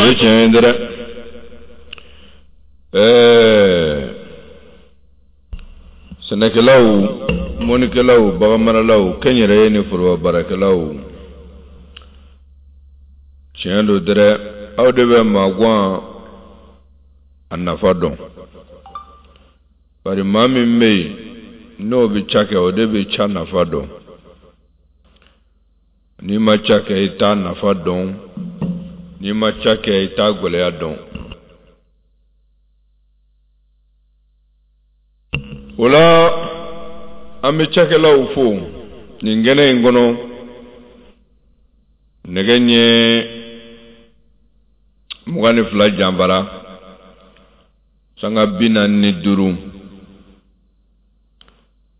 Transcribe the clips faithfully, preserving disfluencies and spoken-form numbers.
Ye tiɲɛ ye dɛ. Ɛɛ sɛnɛkɛlaw, mɔnikɛlaw, baganmaralaw, kɛnyɛrɛye ni foroba baarakɛlaw, tiɲɛ don dɛ, aw de bɛ maguwan a nafa dɔn. Bari maa min bɛ yen n'o bɛ ca kɛ, o de bɛ ca nafa dɔn. N'i ma ca kɛ, i t'a nafa dɔn. N'i ma ca kɛ, i t'a gɛlɛya dɔn. O la an bɛ cakɛlaw fo nin kɛnɛ in kɔnɔ. Nɛgɛ ɲɛ mugan ni fila janfara sanga bi naani ni duuru.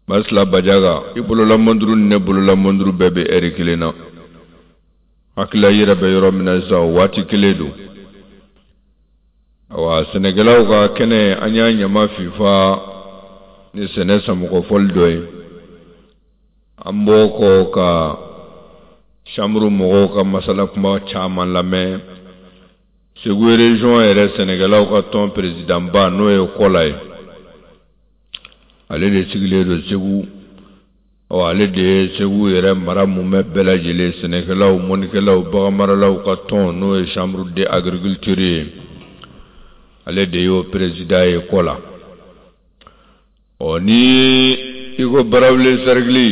Masila Bajaga, i bolola mɔnduru ni ne bolola mɔnduru bɛɛ bɛ ɛri kelen na. Hakilila yɛrɛ bɛ yɔrɔ min na sisan, o waati kelen don. Awa, sɛnɛkɛlaw ka kɛnɛ, an y'a ɲama fifa ni sɛnɛ samɔgɔfɔli dɔ ye. An b'o kɔ ka Chambre mɔgɔw ka masala kuma caman lamɛn. Segu région yɛrɛ sɛnɛkɛlaw ka tɔn président ba n'o ye Kɔla ye, ale de sigilen don Segu. Ɔ ale de ye Segu yɛrɛ mara mumɛ bɛɛ lajɛlen, sɛnɛkɛlaw, mɔnikɛlaw, baganmaralaw ka tɔn n'o ye chambre de agriculture ye, ale de y'o président ye Kɔla. Ɔ ni i ko Barawuli cercle,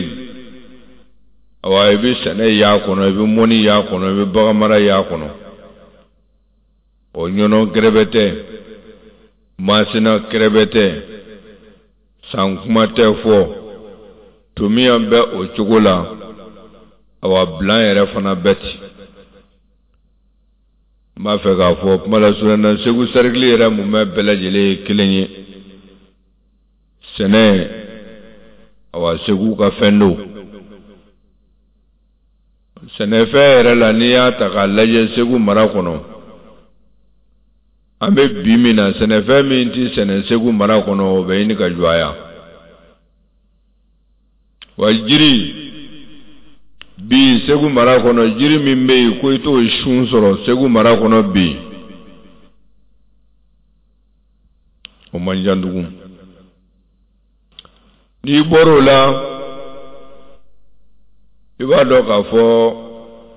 awa i bɛ sɛnɛ y'a kɔnɔ, i bɛ mɔni y'a kɔnɔ, i bɛ baganmara y'a kɔnɔ. Ɔ Ɲɔnɔ kɛrɛbɛtɛ, Masina kɛrɛbɛtɛ, san kuma tɛ fɔ, Tomiyan bɛ o cogo la, awa Bilan yɛrɛ fana bɛ ten. N b'a fɛ k'a fɔ kuma lasurunya na, Segu cercle yɛrɛ mumɛ bɛɛ lajɛlen ye kelen ye. Sɛnɛ, awa Segu ka fɛn don. Sɛnɛfɛn yɛrɛ la, n'i y'a ta k'a lajɛ Segu mara kɔnɔ, an bɛ bi min na, sɛnɛfɛn min tɛ sɛnɛ Segu mara kɔnɔ, o bɛ ɲini ka jɔ. Wa jiri bi Segu mara kɔnɔ, jiri min bɛ yen ko i t'o sun sɔrɔ Segu mara kɔnɔ bi, o man jan tugun. N'i bɔr'o la, i b'a dɔn k'a fɔ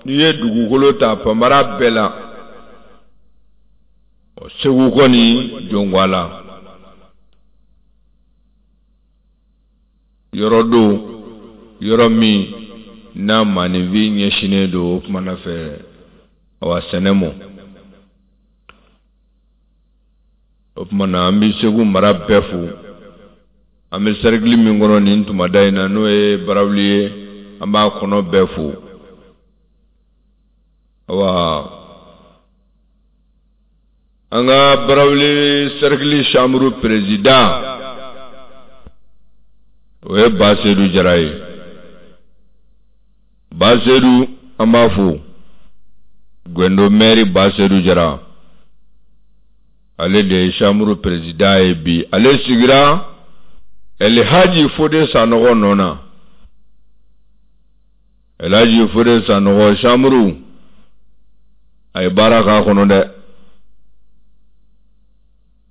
n'i ye dugukolo ta panbara bɛɛ la, Segu kɔni jɔnwa la yɔrɔ don, yɔrɔ min n'a maaninfin ɲɛsinnen don o kumana fɛ, awa sɛnɛ mɔ. O tuma na an bɛ Segu mara bɛɛ fo. An bɛ cercle min kɔnɔ nin tumada in na, n'o ye Barawuli ye, an b'a kɔnɔ bɛɛ fo. Awa an ka Barawuli cercle chambre président, o ye Basedu Jara ye. Basedu, an b'a fo. Gwendo maire Basedu Jara, ale de ye chambre président ye bi. Ale sigira Elhaji Fode Sanɔgɔ nɔ na. Elhaji Fode Sanɔgɔ chambre, a ye baara k'a kɔnɔ dɛ,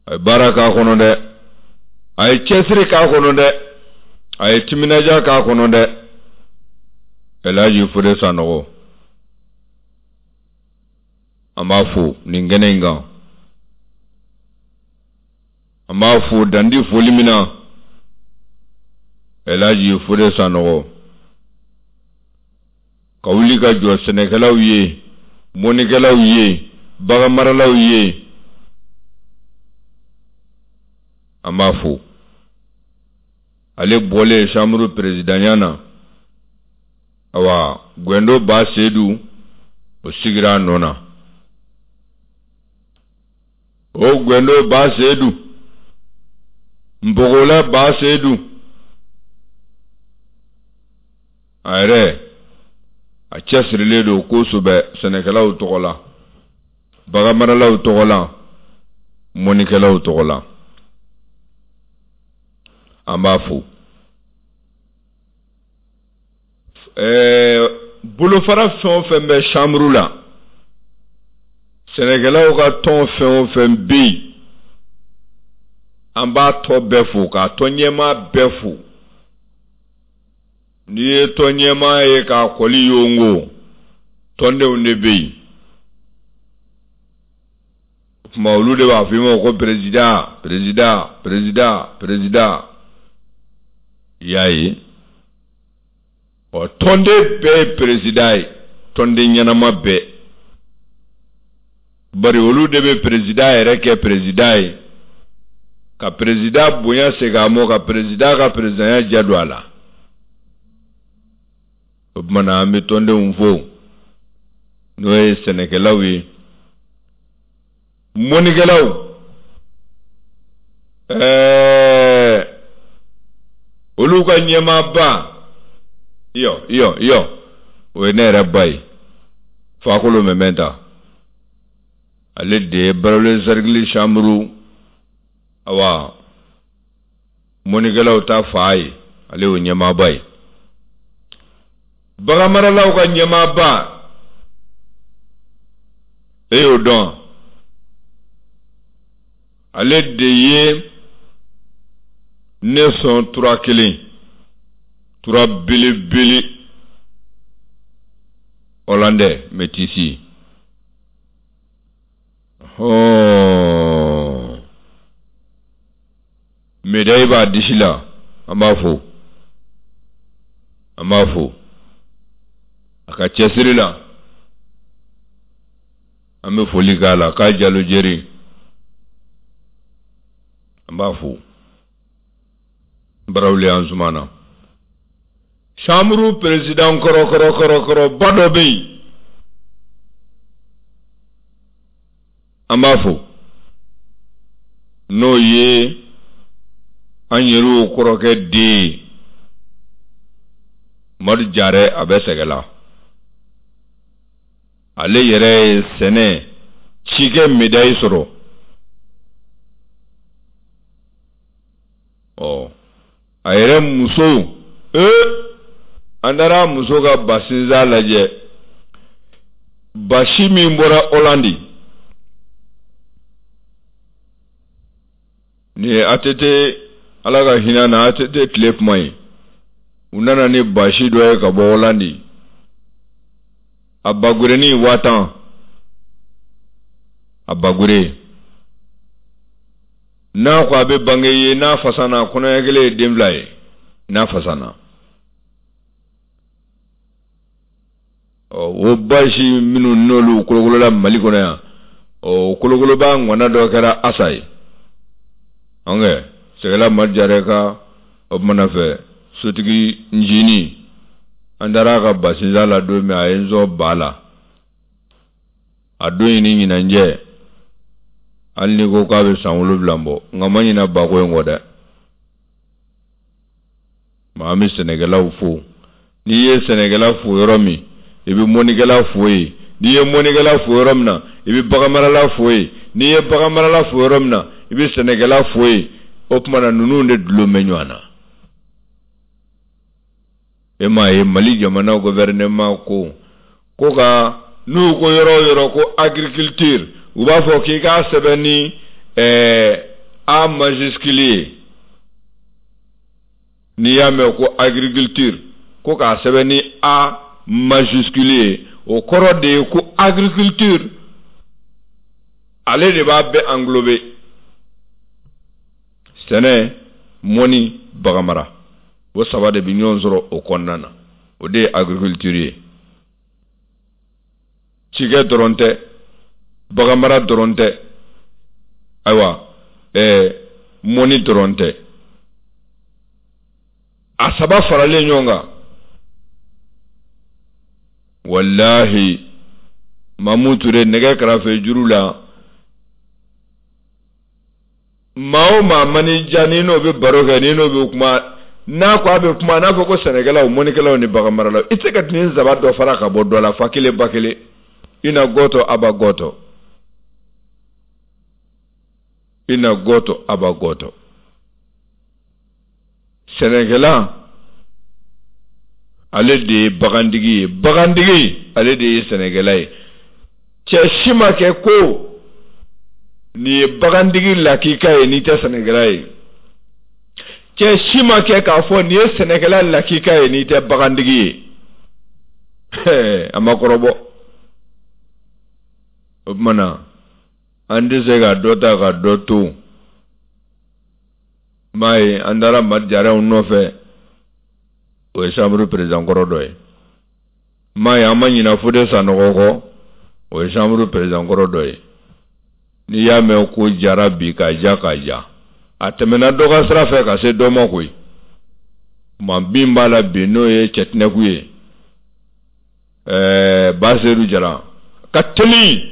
a ye baara k'a kɔnɔ dɛ, a ye cɛsiri k'a kɔnɔ dɛ, a ye timinadiya k'a kɔnɔ dɛ. Elhaji Fode Sanɔgɔ, an b'a fo nin kɛnɛ in kan. An b'a fo dandi foli min na, Elhaji Fode Sanɔgɔ ka wuli ka jɔ sɛnɛkɛlaw ye, mɔnikɛlaw ye, baganmaralaw ye, an b'a fo. Ale bɔlen chambre présidentya na, awa Gwendo Basedu o sigira a nɔ na. O Gwendo Basedu, Npogola Basedu, a yɛrɛ a cɛsirilen don kosɛbɛ sɛnɛkɛlaw tɔgɔ la, baganmaralaw tɔgɔ la, mɔnikɛlaw tɔgɔ la. An b'a fo. Ɛɛ bolofara fɛn o fɛn bɛ chambre la, sɛnɛkɛlaw ka tɔn fɛn o fɛn bɛ yen, an b'a tɔ bɛɛ fo, k'a tɔn ɲɛmaa bɛɛ fo. N'i ye tɔn ɲɛmaa ye k'a kɔli yongo, tɔndenw de bɛ yen. O tuma olu de b'a fɔ i ma ko président, président, président, président. I y'a ye, ɔ tɔnden bɛɛ ye président ye, tɔnden ɲɛnama bɛɛ. Bari olu de bɛ président yɛrɛ kɛ président ye, ka président bonya segin a mɔ, ka président ka présidentya ja don a la. O tuma na an bɛ tɔndenw fo, n'o ye sɛnɛkɛlaw ye, mɔnikɛlaw, ɛɛ olu ka ɲɛmaaba, iyo iyo iyo, o ye ne yɛrɛ ba ye, Fakolo Mɛmɛnta. Ale de ye Barawuli cercle chambre, awa mɔnikɛlaw ta fa ye, ale y'o ɲɛmaaba ye. Baganmaralaw ka ɲɛmaaba, e y'o dɔn, ale de ye ne sɔn tura kelen, tura belebele, ɔlandɛ mɛtisi. Hɔn, médaille b'a disi la, an b'a fo, an b'a fo a ka cɛsiri la, an bɛ foli k'a la k'a jalo jeri, an b'a fo. Barawuli Anzumana, chambre président kɔrɔ kɔrɔ kɔrɔ kɔrɔ ba dɔ bɛ yen, an b'a fo, n'o ye an yɛrɛw kɔrɔkɛ den ye, Madu Jarɛ, a bɛ Sɛgɛla. Ale yɛrɛ ye sɛnɛ cikɛ médaille sɔrɔ. Ɔ, a yɛrɛ muso, ee, an taara muso ka basinzan lajɛ, basi min bɔra Holandi, nin ye A T T, Ala ka hinɛ na, A T T tile kuma ye, u nana ni basi dɔ ye ka bɔ Holandi, a bagurenin waa tan, a bagure n'a ko a bɛ bange ye, n'a fasana kɔnɔɲɛ kelen ye den fila ye, n'a fasana. Ɔ, o basi minnu n'olu kolokolola Mali kɔnɔ yan, ɔ, kolokoloba ŋɔna dɔ kɛra Asa ye. An kɛ Sɛgɛla Madu Jarɛ ka o kumana fɛ sotigi ncinin, an taara a ka basinzan la don min, a ye n sɔn ba la, a don in ni ɲinan cɛ, hali n'i ko k'a bɛ san wolonwula bɔ, nka ma ɲinɛ bako in kɔ dɛ. Maa, an bɛ sɛnɛkɛlaw fo. N'i ye sɛnɛkɛla fo yɔrɔ min, i bɛ mɔnikɛla fo yen. N'i ye mɔnikɛla fo yɔrɔ min na, i bɛ baganmarala fo yen. N'i ye baganmarala fo yɔrɔ min na, i bɛ sɛnɛkɛla fo yen. O tuma na ninnu de dulon bɛ ɲɔgɔn na. E m'a ye Mali jamana gouvernement ko ko ka n'u ko yɔrɔ o yɔrɔ ko agriculture, u b'a fɔ k'i k'a sɛbɛn ni ɛɛ A majuscule ye. N'i y'a mɛn ko agriculture, ko k'a sɛbɛn ni A majuscule ye, o kɔrɔ de ye ko agriculture ale de b'a bɛɛ englober, sɛnɛ, mɔni, baganmara, o saba de bɛ ɲɔgɔn sɔrɔ o kɔnɔna na, o de ye agriculture ye. Cikɛ dɔrɔn tɛ, baganmara dɔrɔn tɛ, ayiwa, ɛɛ mɔni dɔrɔn tɛ, a saba faralen ɲɔgɔn kan. Walahi, Mamu Ture nɛgɛ kɛrɛfɛ juru la, maa o maa man'i diya, n'i n'o bɛ baro kɛ, n'i n'o bɛ kuma, n'a ko a bɛ kuma, n'a fɔ ko sɛnɛkɛlaw, mɔnikɛlaw ni baganmaralaw, i tɛ se ka nin saba dɔ fara ka bɔ dɔ la, fa kelen ba kelen, i na gɔtɔ aba gɔtɔ, i na gɔtɔ aba gɔtɔ. Sɛnɛkɛla ale de ye bagantigi ye, bagantigi ale de ye sɛnɛkɛla ye. Cɛ si ma kɛ ko nin ye bagantigi lakika ye n'i tɛ sɛnɛkɛla ye. Cɛ si ma kɛ k'a fɔ nin ye sɛnɛkɛla lakika ye n'i tɛ bagantigi ye. A ma kɔrɔbɔ. O tuma na an tɛ se ka dɔ ta ka dɔ to. M'a ye an taara Madu Jarɛw nɔfɛ, o ye chambre président kɔrɔ dɔ ye. M'a ye an ma ɲinɛ Fode Sanɔgɔ kɔ, o ye chambre président kɔrɔ dɔ ye. N'i y'a mɛn ko jara bi ka ja ka ja, a tɛmɛna dɔ ka sira fɛ ka se dɔ ma koyi. Maa min b'a la bi n'o ye Cɛtinɛku ye, ɛɛ Basedu Jara, ka teli,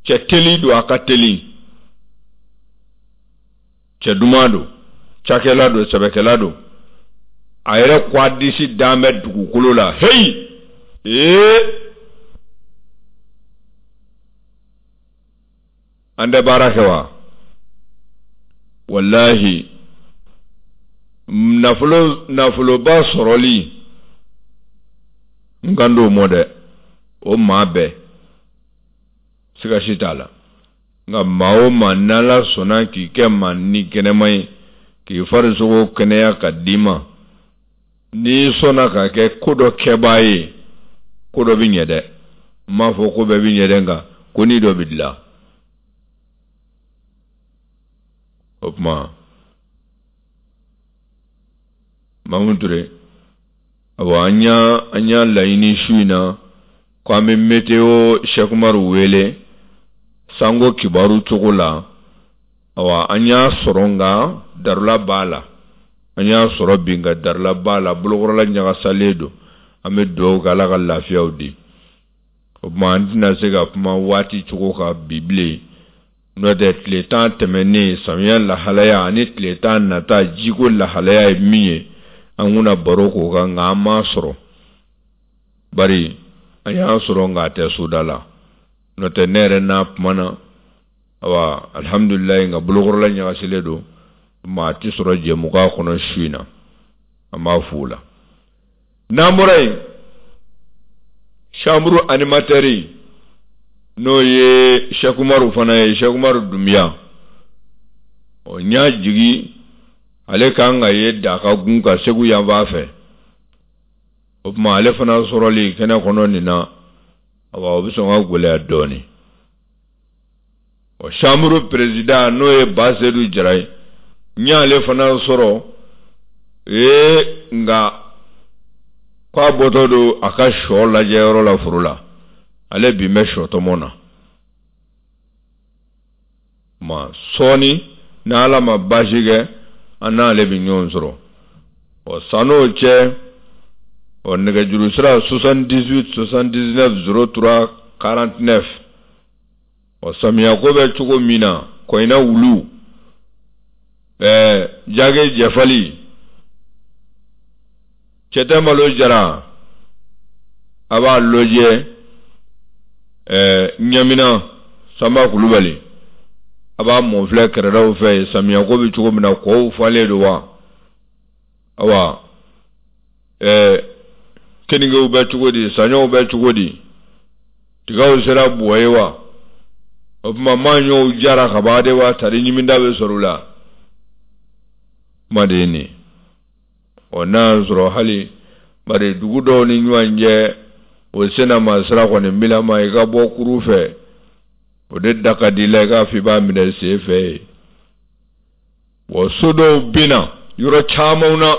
cɛ teli don, a ka teli, cɛ duman don, cakɛla don, sɛbɛkɛla don. A yɛrɛ ko a disi dan bɛ dugukolo la, heyi, ee, an tɛ baara kɛ wa? Walahi, nafolo nafoloba sɔrɔli N kan d'o mɔ dɛ, o maa bɛɛ siga si t'a la. Nka maa o maa n'Ala sɔnna k'i kɛ maa ni kɛnɛma ye, k'i farisogo kɛnɛya ka d'i ma, n'i sɔnna ka kɛ ko dɔ kɛbaa ye, ko dɔ bɛ ɲɛ dɛ. N m'a fɔ ko bɛɛ bɛ ɲɛ dɛ, nka ko ni dɔ bɛ dilan. O tuma Mamu Ture, awa an y'a an y'a laɲini su in na ko an bɛ météo Cheikh Umaru wele sango kibaru cogo la. Awa an y'a sɔrɔ, nka darula b'a la. An y'a sɔrɔ bi, nka darula b'a la, bolokɔrɔla ɲagasalen don. An bɛ dugawu kɛ Ala ka lafiyaw di. O tuma an tɛna se ka kuma waati cogo kan bi bilen. N'o tɛ tile tan tɛmɛnen samiya lahalaya ani tile tan nata jiko lahalaya ye min ye, an kunna baro k'o kan, nka an m'a sɔrɔ. Bari an y'a sɔrɔ, nka a tɛ soda la. N'o tɛ ne yɛrɛ n'a kumana, awa alihamudulilayi, nka bolokɔrɔla ɲagasilen don, maa ti sɔrɔ jɛmukan kɔnɔ su in na. An b'a fo o la. N'an bɔra yen, chambre animateur n'o ye Cheikh Umaru fana ye, Cheikh Umaru Dunbiya, ɔ n y'a jigi ale kan ka ye Dakagun ka Segu yanfan fɛ. O tuma ale fana sɔrɔli kɛnɛ kɔnɔ nin na, awa o bɛ sɔn ka gɛlɛya dɔɔnin. Ɔ chambre président n'o ye Basedu Jara ye, n y'ale fana sɔrɔ ee, nka k'a bɔtɔ don a ka sɔ lajɛyɔrɔ la foro la. Ale bi bɛ sɔ tɔmɔ na. Ma sɔɔni n'Ala ma baasi kɛ, an n'ale bɛ ɲɔgɔn sɔrɔ. Ɔ san'o cɛ, ɔ nɛgɛjuru sira soixante-dix-huit soixante-dix-neuf zéro trois quarante-neuf. Ɔ samiya ko bɛ cogo min na, kɔɲina wulu, ɛɛ jage jɛfali, cɛtɛ malo jara, a b'a lajɛ ɛɛ ɲamina Sanba Kulubali, a b'a mɔnfilɛ kɛrɛdaw fɛ. Samiya ko bɛ cogo min na, kɔw falen don wa? Awa ɛɛ keningew bɛ cogo di, saɲɔw bɛ cogo di, tigaw sera buwɔ ye wa? O tuma maɲɔw jara ka ban de wa? Tari ɲiminda bɛ sɔrɔ u la. Kuma de ye nin. Ɔ n'a y'a sɔrɔ hali bari dugu dɔw ni ɲɔgɔn cɛ, o senna maa sira kɔni bilama, i ka bɔ kuru fɛ, o de da ka di la, i k'a fɔ i b'a minɛ sen fɛ yen. Wa so dɔw bɛ na yɔrɔ caman na,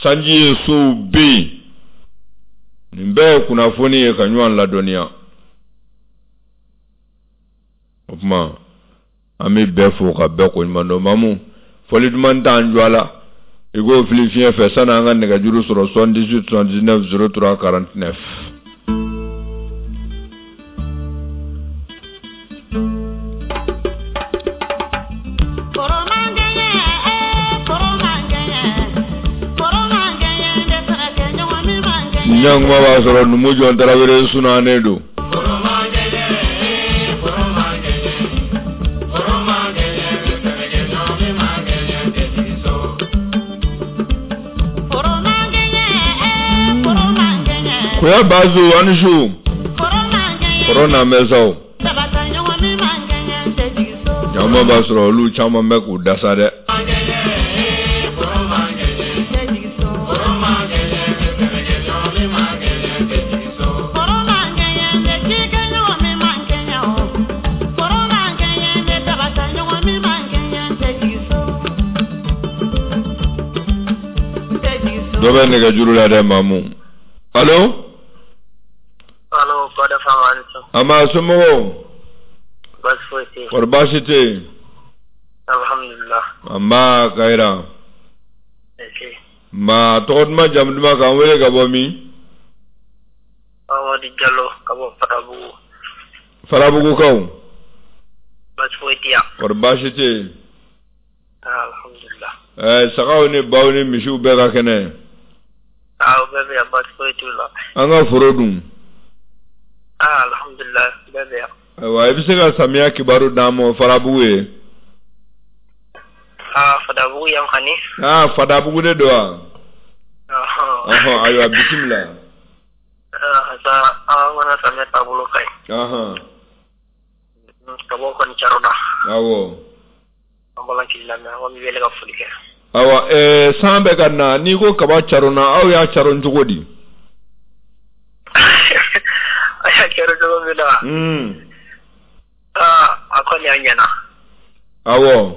sanji ye sow bɛ yen. Nin bɛɛ ye kunnafoni ye ka ɲɔgɔn ladɔnniya. O tuma an bɛ bɛɛ fo ka bɛɛ koɲuman dɔn. Mamu, fɔli duman t'an jɔ a la, i k'o fili fiɲɛ fɛ sani an ka nɛgɛjuru sɔrɔ soixante-dix-huit soixante-dix-neuf zéro trois quarante-neuf. Ɲankuma b'a sɔrɔ numu jɔn Tarawele sunannen don. Koya Bazu ani su kɔrɔ na mɛsaw caman b'a sɔrɔ olu caman bɛ k'u dasa dɛ. Dɔ bɛ nɛgɛjuru la dɛ Mamu. Allo? Allo, Bada Fama ani su. An b'a somɔgɔw? Baasi foyi tɛ yen. Kɔri baasi tɛ yen? Alhamdulillah. An b'a Kayira. Nba tɔgɔ duman jamu duman k'an wele ka bɔ min? Amadu Jalo ka bɔ Farabugu. Farabugukaw? Baasi foyi tɛ yan. Kɔri baasi tɛ yen? Alhamdulillah. Ɛɛ sagaw ni baw ni misiw bɛɛ ka kɛnɛ? Aw bɛɛ bɛ yan, baasi foyi t'u la. An ka foro dun? Ah, alhamdulillah, bɛɛ bɛ yan. Ayiwa, i bɛ se ka samiya kibaru d'an ma Farabugu ye? Ah, Fadabugu yan kɔni. Ah, Fadabugu de don wa? Ɔhɔn, ayiwa bisimila. Sa an kana samiya taabolo ka ɲi. Ahan. Kabaw kɔni carona. Awɔ. An b'ala k'i lamɛn, an b'i wele ka foli kɛ. Awa, ɛɛ san bɛ ka na, n'i ko kaba carona, aw y'a caron cogo di? A y'a caron cogo min na. Un. Aa, a kɔni a ɲɛna. Awɔ.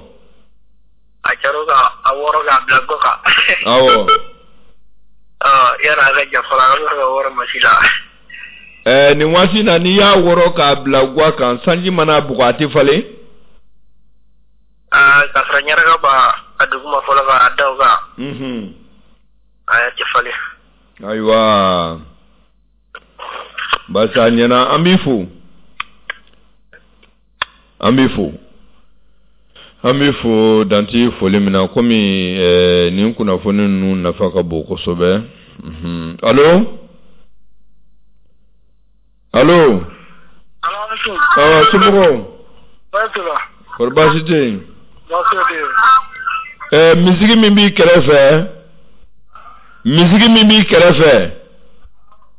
A caro ka a wɔrɔ k'a bila gɔ kan. Awɔ. Ɔ yala a ka ja fɔlɔ, an bɛ ka wɔrɔ masi la. Ɛɛ nin waati in na, n'i y'a wɔrɔ k'a bila gwa kan, sanji mana bugɔ, a tɛ falen? Aa, k'a sɔrɔ ɲaraka b'a a duguma fɔlɔ k'a da o kan. Unhun. A tɛ falen. Ayiwa, baasi a ɲɛna, an b'i fo. An b'i fo. An b'i fo danti foli min na, komi ɛɛ nin kunnafoni ninnu nafa ka bon kosɛbɛ. Unhun. Allo? Allo? Awɔ, somɔgɔw? Baasi t'u la. Kɔri baasi tɛ yen? Baasi tɛ yen. Ɛɛ misigi min b'i kɛrɛfɛ, misigi min b'i kɛrɛfɛ,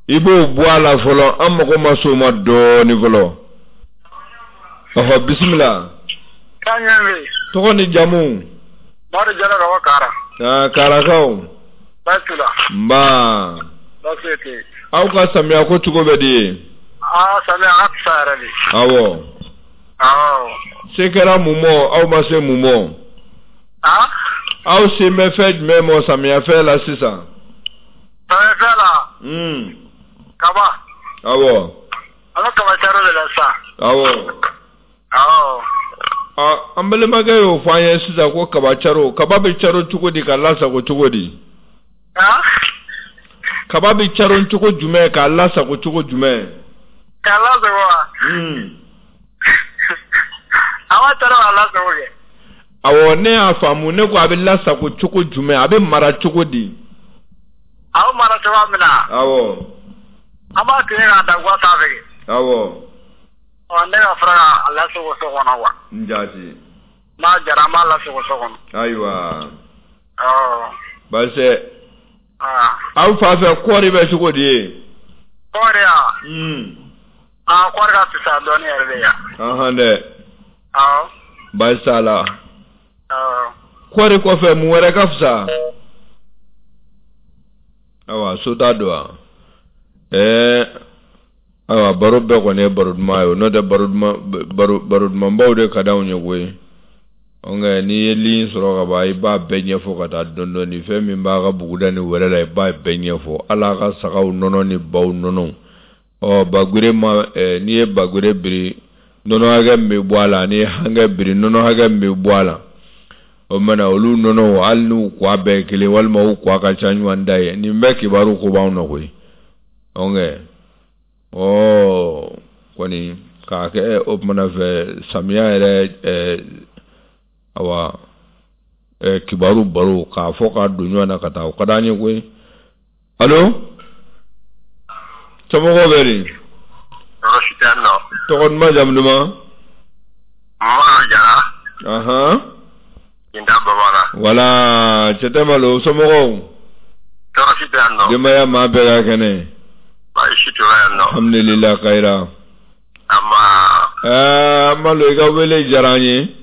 i b'o bɔ a la fɔlɔ, an mago ma s'o ma dɔɔnin fɔlɔ. Ɔhɔ, bisimila. K'an ɲɛ bɛ yen. Tɔgɔ ni jamu? Madu Jalo ka bɔ Kara. Aa, Karakaw. Baasi t'u la. Nba. Baasi tɛ yen. Aw ka samiya ko cogo bɛ di ye? Aa, samiya a ka fisa yɛrɛ de. Awɔ. Awɔ. Se kɛra mun mɔ, aw ma se mun mɔ? Aa? Aw sen bɛ fɛn jumɛn mɔ samiyafɛn la sisan? Samiyafɛn la? Un. Kaba. Awɔ. An bɛ kaba caro de la sisan. Awɔ. Awɔ. Ɔ, an balimakɛ y'o fɔ an ye sisan ko kaba caro, kaba bɛ caro cogo di ka lasago cogo di? Aa? Kaba bɛ caro cogo jumɛn k'a lasago cogo jumɛn? K'a lasago wa? Un. A b'a caro k'a lasago kɛ. Awɔ, ne y'a faamu, ne ko a bɛ lasago cogo jumɛn, a bɛ mara cogo di? A bɛ mara cogoya min na. Awɔ. An b'a tigɛ k'a da gwa sanfɛ kɛ. Awɔ. Ɔ, ne ka fara k'a lasago so kɔnɔ wa. N jaati. N'a jara, an b'a lasago so kɔnɔ. Ayiwa. Awɔ. Baasi. Aa. Aw fa fɛ kɔɔri bɛ cogo di ye? Kɔɔri ya? Un. Aa, kɔɔri ka fisa dɔɔnin yɛrɛ de ya. Ahan dɛ. Awɔ. Baasi t'a la. Awɔ. Kɔɔri kɔfɛ mun wɛrɛ ka fisa? Ayiwa, so t'a don wa? Ɛɛ, ayiwa, baro bɛɛ kɔni ye baro duman ye o, n'o tɛ baro duman baro baro dumanbaw de ka d'anw ye koyi. Nka n'i ye ligne sɔrɔ ka ban, i b'a bɛɛ ɲɛfɔ ka taa dɔɔnin dɔɔnin, fɛn min b'a ka buguda ni wɛrɛ la, i b'a bɛɛ ɲɛfɔ, hali a ka sagaw nɔnɔ ni baw nɔnɔ. Ɔ, bagure ma, ɛɛ n'i ye bagure biri, nɔnɔ hakɛ min bɛ bɔ a la, n'i ye hankɛ biri, nɔnɔ hakɛ min bɛ bɔ a la. O mana olu nɔnɔ, hali n'u kwa bɛɛ ye kelen walima u kwa ka ca ɲɔgɔn da ye, nin bɛɛ kibaru ko b'anw na koyi. Ɔnkɛ, ɔ kɔni k'a kɛ o kumana fɛ samiya yɛrɛ, ɛɛ awa, ɛɛ kibaru baro k'a fɔ k'a don ɲɔgɔn na ka taa, o ka d'an ye koyi. Allo? Somɔgɔw bɛ di? Tɔɔrɔ si tɛ yan nɔ. Tɔgɔ duman, jamu duman? Madu Jara. Ahan. Kinda Baba la. Wala, cɛ tɛ malo, somɔgɔw? Tɔɔrɔ si tɛ yan nɔ. Denbaya maa bɛɛ ka kɛnɛ. Baasi si t'u la yan nɔ. Alhamdulillah kayira. Ama. Ɛɛ Malo, i ka wele diyara an ye.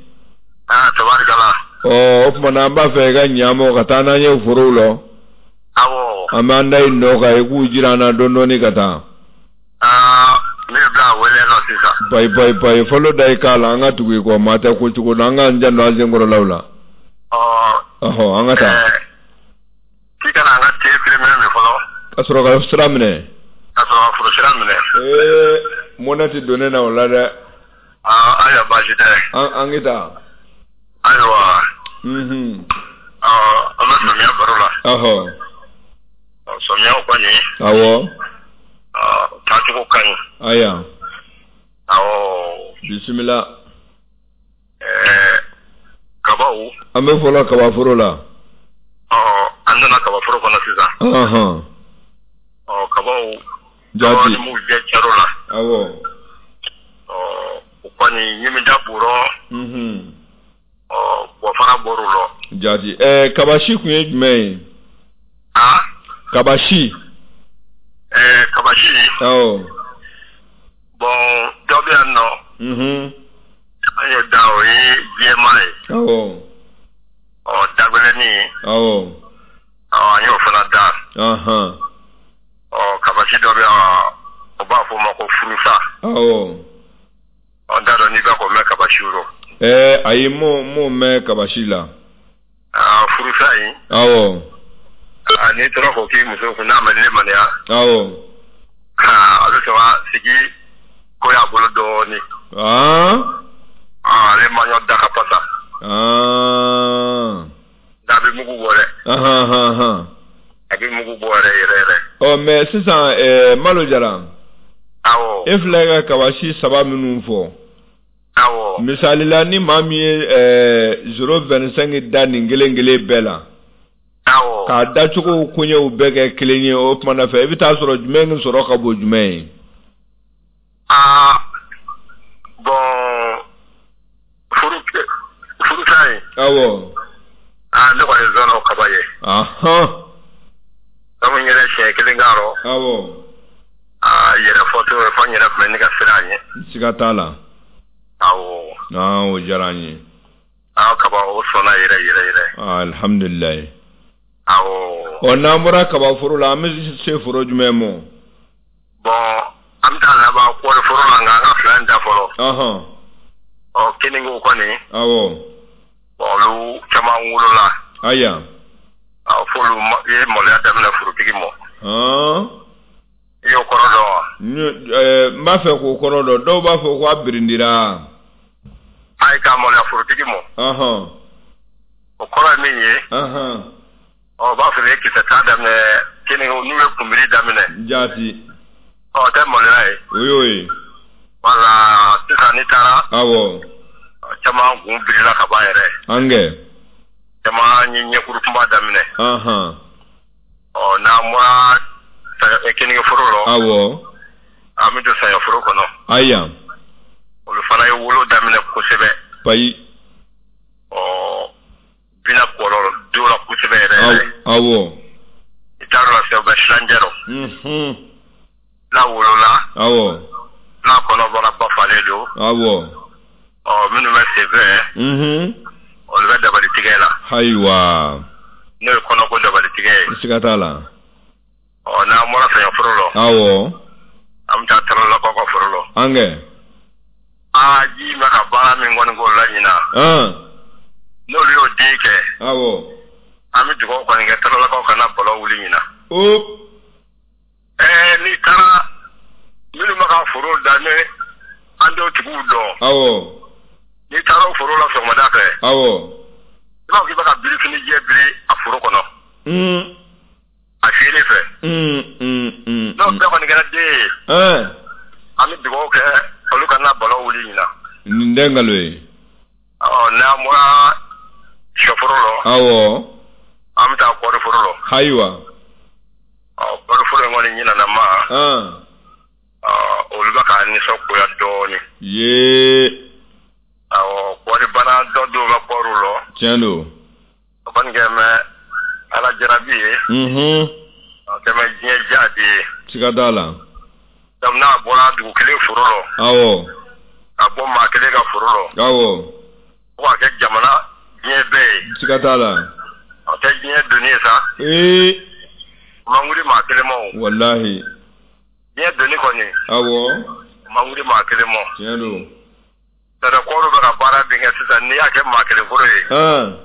Aa, tabarikala. Ɔ, o tuma na an b'a fɛ i ka ɲa ka taa n'an ye forow la. Awɔ. An b'an da i nɔ kan, i k'u jira an na dɔɔnin dɔɔnin ka taa. Aa, ne bɛ bila wele nɔ sisan. Bayi bayi bayi, fɔlɔ da i k'a la, an ka tugu i kɔ, maa tɛ ko cogo dɔn, an k'an janto an senkɔrɔlaw la. Ɔ. Ɔhɔ, an ka taa. Ɛɛ, k'i kana an ka te feere minɛ fɔlɔ. Ka sɔrɔ ka sira minɛ. Ka sɔrɔ ka foro sira minɛ. Ee, mɔnɛ tɛ don ne na o la dɛ. Aa, ayiwa, baasi tɛ. An an ka taa. Ayiwa. Unhun. Ɔ, an bɛ samiya baro la. Ɔhɔ. Samiya kɔni. Awɔ. Ɔ, taacogo ka ɲi. Aya. Awɔ. Bisimila. Ɛɛ, kabaw. An bɛ fɔlɔ kabaforo la. Ɔ, an nana kabaforo kɔnɔ sisan. Ɔhɔn. Ɔ, kabaw. Jaati. Ni m'u jɛ caro la. Awɔ. Ɔ, o kɔni ɲimida b'u rɔ. Unhun. Ɔ, bɔfara bɔr'u rɔ. Jaati. Ɛɛ, kabasi kun ye jumɛn ye? Aa? Kabasi. Ɛɛ kabasi. Awɔ. Bon, dɔ bɛ yan nɔ. Unhun. An y'o da, o ye jɛman ye. Awɔ. Ɔ, dagɛlɛnnin. Awɔ. Ɔ, an y'o fana da. Ahan. Ɔ, kabasi dɔ bɛ yan, o b'a fɔ o ma ko furusa. Awɔ. Ɔ, n t'a dɔn n'i bɛ k'o mɛn kabasiw rɔ. Ɛɛ ayi, m'o m'o mɛn kabasi la. Aa, furusa in. Awɔ. Aa, n'i tora k'o k'i muso kun, n'a ma lemaniya. Awɔ. Aa, a bɛ sɔrɔ ka sigi ko y'a bolo dɔɔnin. Aa. Aa, ale maɲɔ da ka fasa. Aa. Nka a bɛ mugu bɔ dɛ. Ahan ahan. A bɛ mugu bɔ yɛrɛ yɛrɛ yɛrɛ. Ɔ, mais sisan ɛɛ Malo Jara. Awɔ. E filɛ ka kabasi saba minnu fɔ. Awɔ. Misali la, ni maa min ye ɛɛ zéro vingt cinq da nin kelen kelen bɛɛ la. Awɔ. K'a dacogo koɲɛw bɛɛ kɛ kelen ye, o tuma na fɛ, i bɛ taa sɔrɔ jumɛn sɔrɔ ka bon jumɛn ye? Aa, bon, furu furusa in. Awɔ. Aa, ne kɔni zɔnna o kaba ye. Ahan. Sabu n yɛrɛ siɲɛ kelen k'a rɔ. Awɔ. Aa, yɛrɛ fɔ cogo fɔ n yɛrɛ tun bɛ ne ka siran a ɲɛ. Siga t'a la. Awɔ. Aa, o diyara an ye. Aa, kaba o sɔnna yɛrɛ yɛrɛ yɛrɛ. Alihamudulilayi. Awɔ. Ɔ, n'an bɔra kaba foro la, an bɛ se foro jumɛn ma? Bon, an bɛ taa laban kɔɔri foro la, nka an ka fila in da fɔlɔ. Ɔhɔn. Ɔ, keningew kɔni. Awɔ. Bon, olu caman wolola. Aya. Awɔ, f'olu ye maloya daminɛ forotigi ma. Hɔn. I y'o kɔrɔ dɔn wa? N b'a fɛ k'o kɔrɔ dɔn. Dɔw b'a fɔ ko a birindira. Ayi, k'a maloya forotigi ma. Ɔhɔn. O kɔrɔ ye min ye. Ɔhɔn. Ɔ, b'a fɔ ye kisɛ t'a daminɛ, keninge n'u ye kunbiri daminɛ. Jaati. Ɔ, o tɛ maloya ye. O y'o ye. Wala, sisan n'i taara. Awɔ. Caman kun birila ka ban yɛrɛ. An kɛ. Caman ye ɲɛkuru kunba daminɛ. Ɔhɔn. Ɔ, n'an bɔra keninge foro la. Awɔ. An bɛ don saɲɔ foro kɔnɔ. Ayiwa. Olu fana ye wolo daminɛ kosɛbɛ. Payi. Ɔ, bina kɔlɔ don la kosɛbɛ yɛrɛ yɛrɛ. Awɔ. I t'a dɔn la, u bɛ silanjɛ rɔ. Unhun. N'a wolola. Awɔ. N'a kɔnɔbara ba falen don. Awɔ. Ɔ, minnu bɛ senfɛ. Unhun. Olu bɛ dabali tigɛ la. Ayiwa. N'o ye kɔnɔko dabali tigɛ ye. Siga t'a la. Ɔ, n'an bɔra saɲɔ foro la. Awɔ. An bɛ taa Taralakaw ka foro la. An kɛ. Aa, ji bɛ ka baara min kɔni k'o la ɲinan. An. N'olu y'o den kɛ. Awɔ. An bɛ dugawu kɔni kɛ Taralakaw kana bɔlɔ wuli ɲinan. O. Ɛɛ, n'i taara minnu bɛ ka foro da, ne an t'o tigiw dɔn. Awɔ. N'i taara o foro la sɔgɔmada fɛ. Awɔ. I b'a fɔ k'i bɛ ka birifini jɛ biri a foro kɔnɔ. Un. A feere fɛ. Un un un. N'o bɛɛ kɔni kɛra den ye. Ɛn. An bɛ dugawu kɛ olu kana bɔlɔ wuli ɲinan. Nin tɛ nkalon ye. Ɔ, n'an bɔra sɔforo la. Awɔ. An bɛ taa kɔɔri foro la. Ayiwa. Ɔ, kɔɔri foro in kɔni ɲinana ma. An. Ɔ, olu bɛ ka nisɔngoya dɔɔnin. Yee. Awɔ, kɔɔri bana dɔ dɔw bɛ kɔɔriw la. Tiɲɛ don. O kɔni kɛ mɛ Ala jarabi ye. Unhun. O kɛ mɛ diɲɛ diya de ye. Siga t'a la. Donc n'a bɔra dugu kelen foro la. Awɔ. Ka bɔ maa kelen ka foro la. Awɔ. Fo ka kɛ jamana diɲɛ bɛɛ ye. Siga t'a la. O tɛ diɲɛ doni ye sa. Ee. O man wuli maa kelen ma o. Walahi. Diɲɛ doni kɔni. Awɔ. O man wuli maa kelen ma. Tiɲɛ don. Tɛrɛ kɔɔriw bɛ ka baara min kɛ sisan, n'i y'a kɛ maa kelen foro ye. An.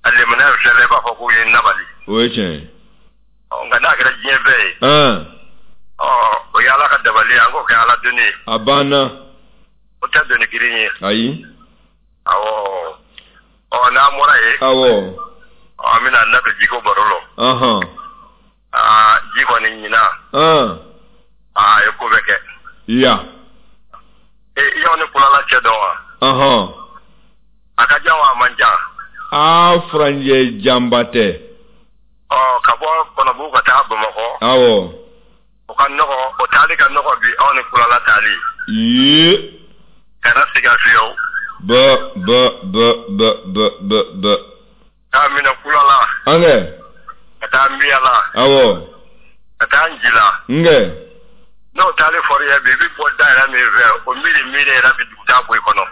A lemina filɛ la, i b'a fɔ k'u ye nabali. O ye tiɲɛ ye. Ɔ, nka n'a kɛra diɲɛ bɛɛ ye. An. Ɔ, o ye Ala ka dabali ye, an k'o kɛ Ala doni ye. A banna. O tɛ doni girin ye. Ayi. Awɔ. Ɔ, n'an bɔra yen. Awɔ. Ɔ, an bɛna an da don jiko baro la. Ɔhɔn. Aa, ji kɔni ɲinan. An. Aa, a ye ko bɛɛ kɛ. Ya. E, i y'anw ni Kulala cɛ dɔn wa? Ɔhɔn. A ka jan wa a man jan? Aa, furanjɛ janba tɛ. Ɔ, ka bɔ Kɔnɔbugu ka taa Bamakɔ. Awɔ. O ka nɔgɔ, o taali ka nɔgɔ bi anw ni Kulala taali. Yee. Kana siga fiyewu. B B B B B B B. K'a minɛ Kulala. An kɛ. Ka taa Miyala. Awɔ. Ka taa Njila. Nge. N'o taalen fɔr'i ye bi, i bɛ bɔ da yɛrɛ min fɛ, o miiri miiri yɛrɛ bɛ dugu taa bɔ i kɔnɔ.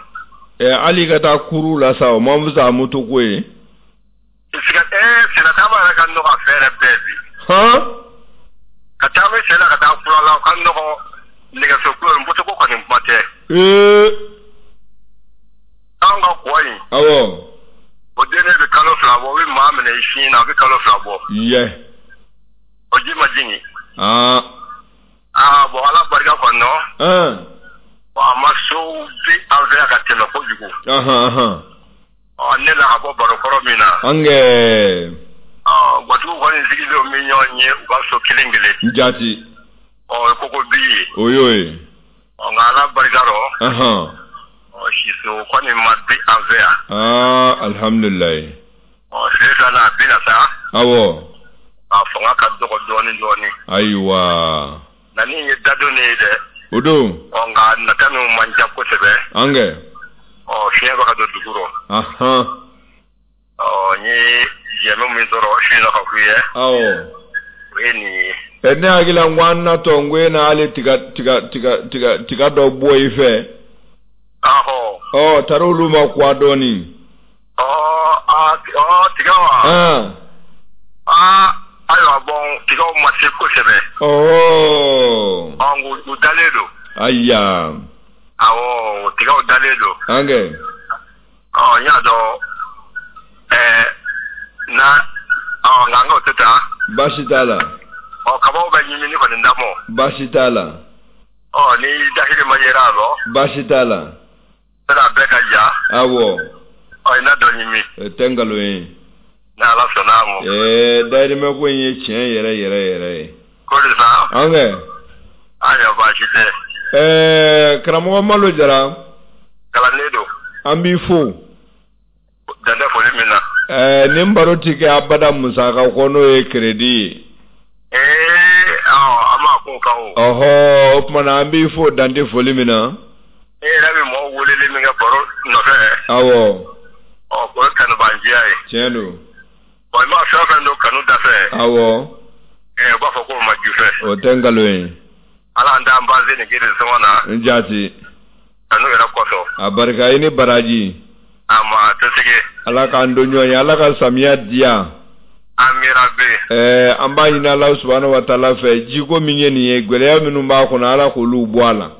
Ɛ hali ka taa kuru la sa, o man fisa moto ko ye. Siga ɛɛ sennataama yɛrɛ ka nɔgɔ a fɛn yɛrɛ bɛɛ bi. Han. Ka taama sen na ka taa kura la, o ka nɔgɔ nɛgɛso ko moto ko kɔni kuma tɛ. Ee. Anw ka kɔ in. Awɔ. O den bɛ kalo fila bɔ, o bɛ maa minɛ i sin na, o bɛ kalo fila bɔ. Yɛ. O ji ma jigin. Aa. Aa bon Ala barika kɔni. An. Bon a ma sow bi an fɛ yan ka tɛmɛ kojugu. Ahan ahan. Ɔ ne la ka bɔ baro kɔrɔ min na. An kɛ. Ɔ gatigiw kɔni sigilen min ɲɔgɔn ye u ka so kelen kelen. Jaati. Ɔ koko bi ye. O y'o ye. Ɔ nka Ala barika rɔ. Ahan. Ɔ siso kɔni ma bi an fɛ yan. Aa alihamudulilayi. Ɔ sisan a bɛna sa. Awɔ. A fanga ka dɔgɔ dɔɔnin dɔɔnin. Ayiwa. Na ni ye dadon ne ye dɛ. O don. Ɔ nka nata ninnu man ca kosɛbɛ. An kɛ. Ɔ fiɲɛ bɛ ka don dugu rɔ. Ahan. Ɔ n ye jɛmɛ min sɔrɔ su in na ka f'u ye. Awɔ. O ye nin ye. Ɛ ne hakili la n ko an natɔ n ko e na hali tiga tiga tiga tiga tiga dɔ bɔ i fɛ. Ahɔ. Ɔ tari olu ma kuwa dɔɔnin. Ɔ aa ɔ tiga wa. An. Aa ayiwa bɔn tigaw ma se kosɛbɛ. Ɔhɔ. Ɔ u dalen don. Ayiya. Awɔ tigaw dalen don. An kɛ. Ɔ n y'a dɔn ɛɛ na ɔ nka an k'o tɛ taa. Baasi t'a la. Ɔ kabaw bɛ ɲimini kɔni damɔ. Baasi t'a la. Ɔ ni dahiri ma yera a rɔ. Baasi t'a la. Sera bɛɛ ka ja. Awɔ. Ɔ i n'a dɔ ɲimi. O tɛ nkalon ye. Ni Ala sɔnna a ma. Ɛɛ dayirimɛ ko in ye tiɲɛ yɛrɛ yɛrɛ yɛrɛ ye. Ko de sa. An kɛ. Ayiwa baasi tɛ. Ɛɛ karamɔgɔ Malo Jara. Kalanden don. An b'i fo. Dan tɛ foli min na. Ɛɛ nin baro ti kɛ abada musaka kɔ n'o ye crédit ye. Ee ɔ an b'a k'o kan o. Ɔhɔ o tuma na an b'i fo dan tɛ foli min na. E yɛrɛ bɛ mɔgɔw weleli min kɛ baro nɔfɛ. Awɔ. Ɔ o ye kanubanjiya ye. Tiɲɛ don. Bon i ma fɛn o fɛn don kanu dafɛ. Awɔ. Ɛɛ u b'a fɔ k'o ma jufɛ. O tɛ nkalon ye. Ala an t'an baze nin gere sɔngɔ na. N jaati. Kanu yɛrɛ kɔsɔn. A barika i ni baraji. A ma tɛ sigi. Ala k'an don ɲɔgɔn ye, Ala ka samiya diya. Amina bi. Ɛɛ an b'a ɲini Ala subahana wa taala fɛ jiko min ye nin ye gɛlɛya minnu b'a kɔnɔ Ala k'olu bɔ a la.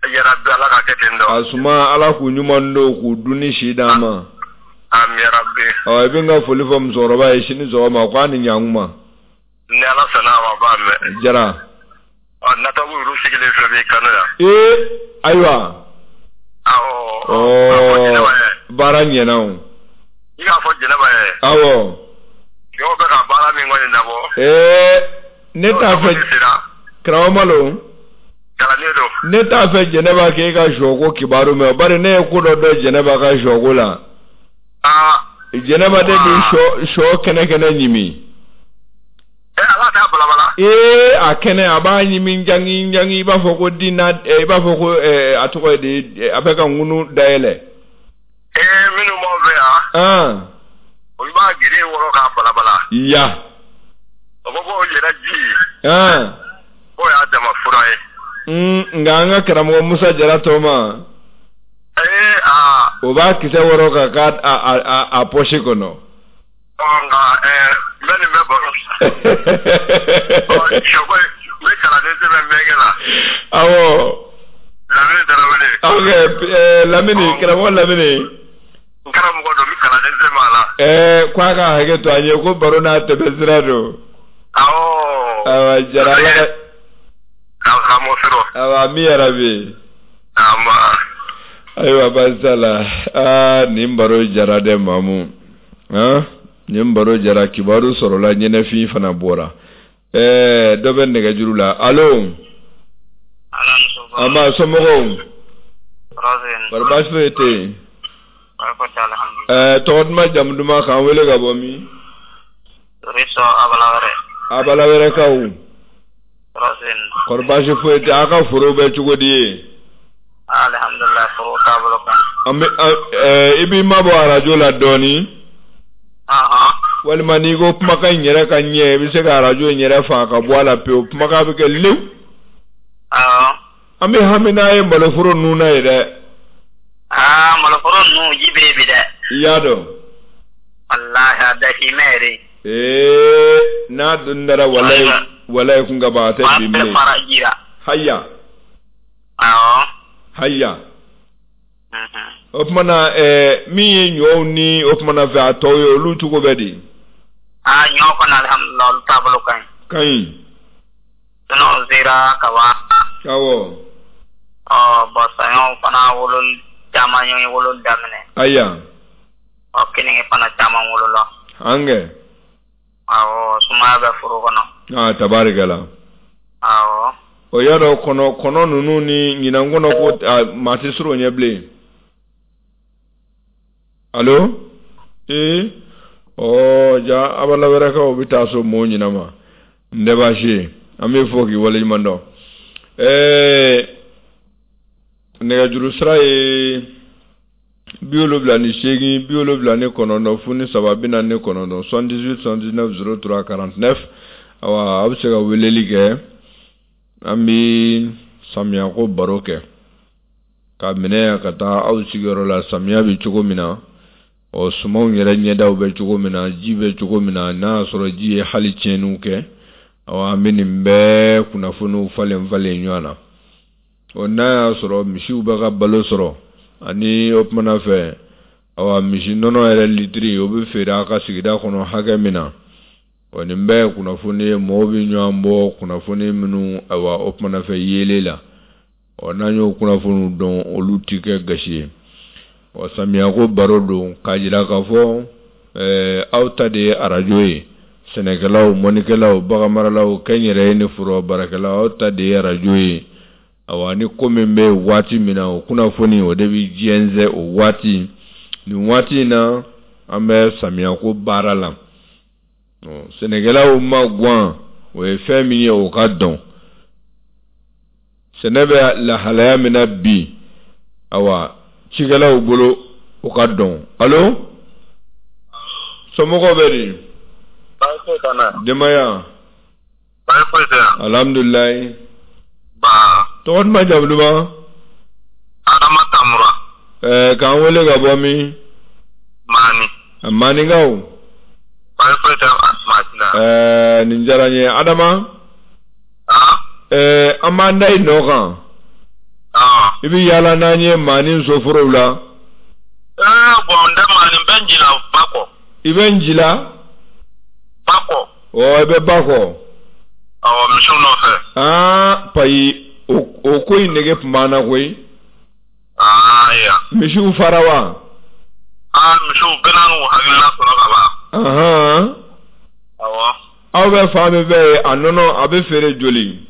Yarabi Ala ka kɛ ten dɔ. A suma Ala k'u ɲuman don k'u dun ni si d'an ma. Amina bi. Ɔ i bɛ n ka foli fɔ musokɔrɔba ye sini sɔgɔma k'a ni ɲankuma. Ni Ala sɔnna a ma a b'a mɛn. Jara. Ɔ natabu yɛrɛ sigilen filɛ b'i kanu yan. Ee ayiwa. Awɔ. Ɔɔ baara ɲɛna o. I k'a fɔ Jɛnɛba ye. Awɔ. Yɔrɔ bɛ ka baara min kɔni labɔ. Ee ne t'a fɛ karamɔgɔ Malo. Kalanden don. Ne t'a fɛ Jɛnɛba k'e ka sɔko kibaru mɛn bari ne ye ko dɔ dɔn Jɛnɛba ka sɔko la. Aa. Jɛnɛba de bi sɔ sɔ kɛnɛ kɛnɛ ɲimi. Ee ala t'a balabala. Ee a kɛnɛ a b'a ɲimi jangi jangi i b'a fɔ ko dina i b'a fɔ ko a tɔgɔ ye di a bɛ ka ŋunu dayɛlɛ. Ee minnu b'aw fɛ yan. An. Olu b'a gere wɔrɔ k'a balabala. Ya. O ko k'o yɛrɛ ji. An. K'o y'a dama fura ye. Nka an ka karamɔgɔ Musa Jara tɔ ma. Ee aa. O b'a kisɛ wɔrɔ ka k'a a a a poche kɔnɔ. Ɔ nka ɛɛ n bɛ nin bɛɛ baro. Ɔ sɔko n bɛ kalanden sɛbɛn bɛnkɛ la. Awɔ. Lamini Tarawele. Ok ɛɛ Lamini karamɔgɔ Lamini. N karamɔgɔ don n bɛ kalanden sɛbɛn a la. Ɛɛ k'a ka hakɛ to an ye ko baro n'a tɛmɛ sira don. Awɔ. Awa Jara Ala ka. Awa ami yarabi. Ama. Ayiwa baasi t'a la. Aa nin baro jara dɛ Mamu. Han nin baro jara kibaru sɔrɔla ɲɛnɛfin fana bɔra. Ɛɛ dɔ bɛ nɛgɛjuru la. Allo. An b'a somɔgɔw. Bari baasi foyi tɛ yen. Ɛɛ tɔgɔ duman jamu duman k'an wele ka bɔ min? Abalawɛrɛkaw. Kɔri baasi foyi tɛ a ka foro bɛ cogo di ye? Alhamdulillah foro taabolo kan. An bɛ ɛɛ i b'i mabɔ arajo la dɔɔnin. Ɔhɔn. Walima n'i ko kumakan in yɛrɛ ka ɲɛ, i bɛ se ka arajo in yɛrɛ faa ka bɔ a la pewu, kumakan bɛ kɛ lewu. Awɔ. An bɛ hami n'a ye maloforo ninnu na ye dɛ. Aa, maloforo ninnu ji bɛ yen bi dɛ. I y'a dɔn. Walahi a dahirimɛ yɛrɛ. Ee, n'a dun dara walayi walayi kun ka ban a tɛ bin bilen. Bɛɛ fara ji la. Haya. Awɔ. Haya. O tuma na ɛɛ min ye ɲɔw ni o tuma na fɛ a tɔw ye, olu cogo bɛ di? Aa, ɲɔ kɔni alhamdulilah, olu taabolo ka ɲi. Ka ɲi. Sɛnɛw sera ka ban. Awɔ. Ɔ bɔn, saɲɔw fana wololi caman ye wololi daminɛ. Aya. Ɔ, keninge fana caman wolola. An kɛ. Awɔ, sumaya bɛ foro kɔnɔ. Aa, tabarikala. Awɔ. O y'a dɔn kɔnɔ kɔnɔ ninnu ni ɲinan kɔnɔ ko maa tɛ sɔrɔ o ɲɛ bilen. Allo? Ee, ɔ ja abala wɛrɛkaw bɛ taa so mɔgɔw ɲinan ma. N tɛ baasi ye, an bɛ fɔ k'i waleɲuman dɔn. Ɛɛ, nɛgɛjuru sira ye bi wolonwula ni seegin, bi wolonwula ni kɔnɔntɔn, fu ni saba, bi naani ni kɔnɔntɔn, soixante-dix-huit soixante-dix-neuf zéro trois quarante-neuf. Awa, aw bɛ se ka weleli kɛ. An bɛ samiyako baro kɛ ka minɛ ka taa aw sigiyɔrɔ la, samiya bɛ cogo min na, ɔ sumanw yɛrɛ ɲɛdaw bɛ cogo min na, ji bɛ cogo min na, n'a y'a sɔrɔ ji ye hali tiɲɛniw kɛ. Awa, an bɛ nin bɛɛ kunnafoniw falen falen ɲɔgɔn na. Ɔ, n'a y'a sɔrɔ misiw bɛ ka balo sɔrɔ, ani o kumana fɛ, awa, misi nɔnɔ yɛrɛ litiri o bɛ feere a ka sigida kɔnɔ hakɛ min na. Ɔ, nin bɛɛ ye kunnafoni ye, mɔgɔw bɛ ɲɔgɔn bɔ kunnafoni minnu, awa, o kumana fɛ yeelen la. Ɔ, n'an y'o kunnafoniw dɔn, olu ti kɛ gasi ye. Ɔ, samiyako baro don k'a jira k'a fɔ ɛɛ aw ta de ye arajo ye. Sɛnɛkɛlaw, mɔnikɛlaw, baganmaralaw, kɛnyɛrɛye ni foro baarakɛlaw, aw ta de ye arajo ye. Awa, ni ko min bɛ waati min na, o kunnafoni o de bɛ jɛnsɛn o waati. Nin waati in na, an bɛ samiyako baara la. Sɛnɛkɛlaw ma guwan, o ye fɛn min ye, o ka dɔn. Sɛnɛ bɛ lahalaya min na bi, awa, cikɛlaw bolo, o ka dɔn. Allo? Somɔgɔw bɛ di? Baasi foyi t'an na. Denbaya? Baasi foyi tɛ yan. Alhamdulilayi. Ba. Tɔgɔ duman, jamu duman? Adama Tamura. Ɛɛ, k'an wele ka bɔ min? Maani. Maninkaw? Baasi foyi tɛ maa si la. Ɛɛ, nin diyara n ye. Adama? Aa? Ɛɛ, an b'an da i nɔ kan. Aa. I bɛ yaala n'an ye Maani soforow la. Ɛɛ, bɔn, n tɛ Maani, n bɛ n jila ba kɔ. I bɛ n jila? Ba kɔ. Ɔ, i bɛ ba kɔ. Awɔ, misiw nɔfɛ. Aa, payi, o o ko in nege tun b'an na koyi. Aa, ya. Misiw fara wa? Aa, misiw bɛɛ n'u hakilina sɔrɔ ka ban. Ahan. Awɔ. Aw bɛ fan min fɛ yen, a nɔnɔ a bɛ feere joli?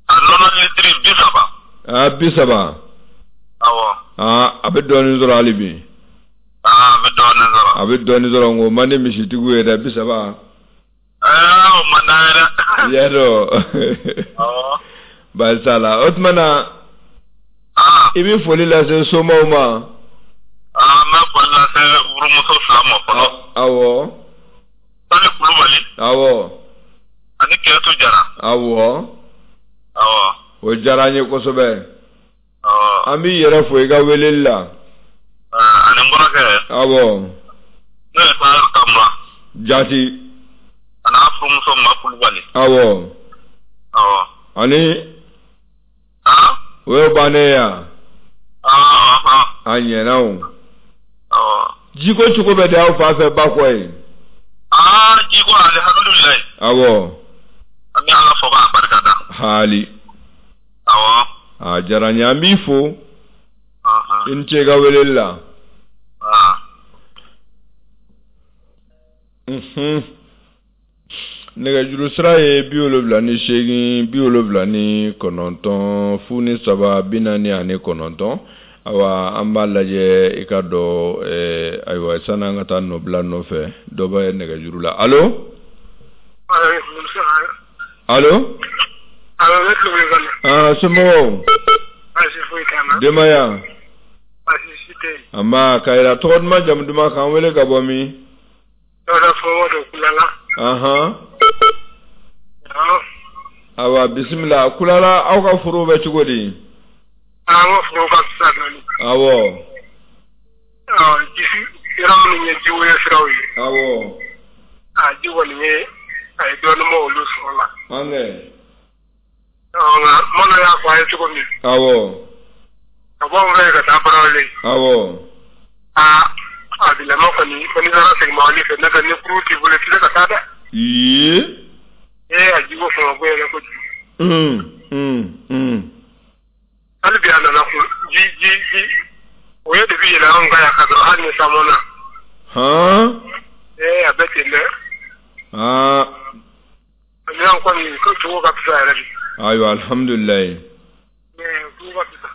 A nɔnɔ litiri bi saba. Aa, bi saba. Awɔ. Aa, a bɛ dɔɔnin sɔrɔ hali bi. Aa, a bɛ dɔɔnin sɔrɔ. A bɛ dɔɔnin sɔrɔ, nka o man di misitigiw ye dɛ, bi saba. Ɛɛ, o man d'an ye dɛ. I y'a dɔn. Awɔ. Baasi t'a la. O tuma na. Aa. I bɛ foli lase somaw ma. Aa, n bɛ foli lase furumuso fila ma fɔlɔ. Awɔ. Sani Kulubali. Awɔ. Ani Kɛsu Jara. Awɔ. Awɔ. O diyara an ye kosɛbɛ. Awɔ. An b'i yɛrɛ fo i ka weleli la. Ani n kɔrɔkɛ. Awɔ. N'o ye Sahel Kamara. Jati. A n'a furumuso Ma Kulubali. Awɔ. Awɔ. Ani. Aa. O ye bannen ye wa? Aa. A ɲɛna o. Awɔ. Jiko cogo bɛ di aw fan fɛ ba kɔ yen? Aa, jiko alihamudulilayi. Awɔ. An bɛ Ala fo k'a barika da. Haali. Awɔ. A diyara n ye, an b'i fo. I ni ce i ka weleli la. Aa. Unhun. Nɛgɛjuru sira ye bi wolonwula ni seegin, bi wolonwula ni kɔnɔntɔn, fu ni saba, bi naani ani kɔnɔntɔn. Awa, an b'a lajɛ i ka dɔn ɛɛ ayiwa, sani an ka taa nɔbila nɔfɛ, dɔ bɛ nɛgɛjuru la. Allo? Allo? Allo, ne tulo b'i la. Aa, somɔgɔw? Baasi foyi t'an na. Denbaya? Baasi si tɛ yen. Nba, Kayira, tɔgɔ duman, jamu duman, k'an wele ka bɔ min? Dawuda somɔgɔw don Kulala. Ahan. Awa bisimila Kulala, aw ka foro bɛ cogo di? An ka foro ka fisa dɔɔni. Awɔ. Ji sira minnu ye jiwoyo siraw ye. Awɔ. A ji kɔni ye a ye dɔɔnin bɔ olu sɔrɔ la. An kɛ. Nka Manu y'a fɔ a ye cogo min. Awɔ. Ka bɔ anw fɛ ka taa Barawele. Awɔ. Aa, a bilama kɔni ko n'i taara segin mɔbili fɛ, n'o tɛ ni kurun t'i bolo i tɛ se ka taa dɛ. Ee. Ee, a jiko fanga ko yɛrɛ kojugu. Un un un. Hali bi a nana kun ji ji ji o ye de bi yɛlɛ anw kan yan ka sɔrɔ hali ni san mɔna. Han. Ee, a bɛ ten dɛ. Aa. Ani an kɔni ko cogo ka fisa yɛrɛ de. Ayiwa, alhamdulilayi. Ee, cogo ka fisa.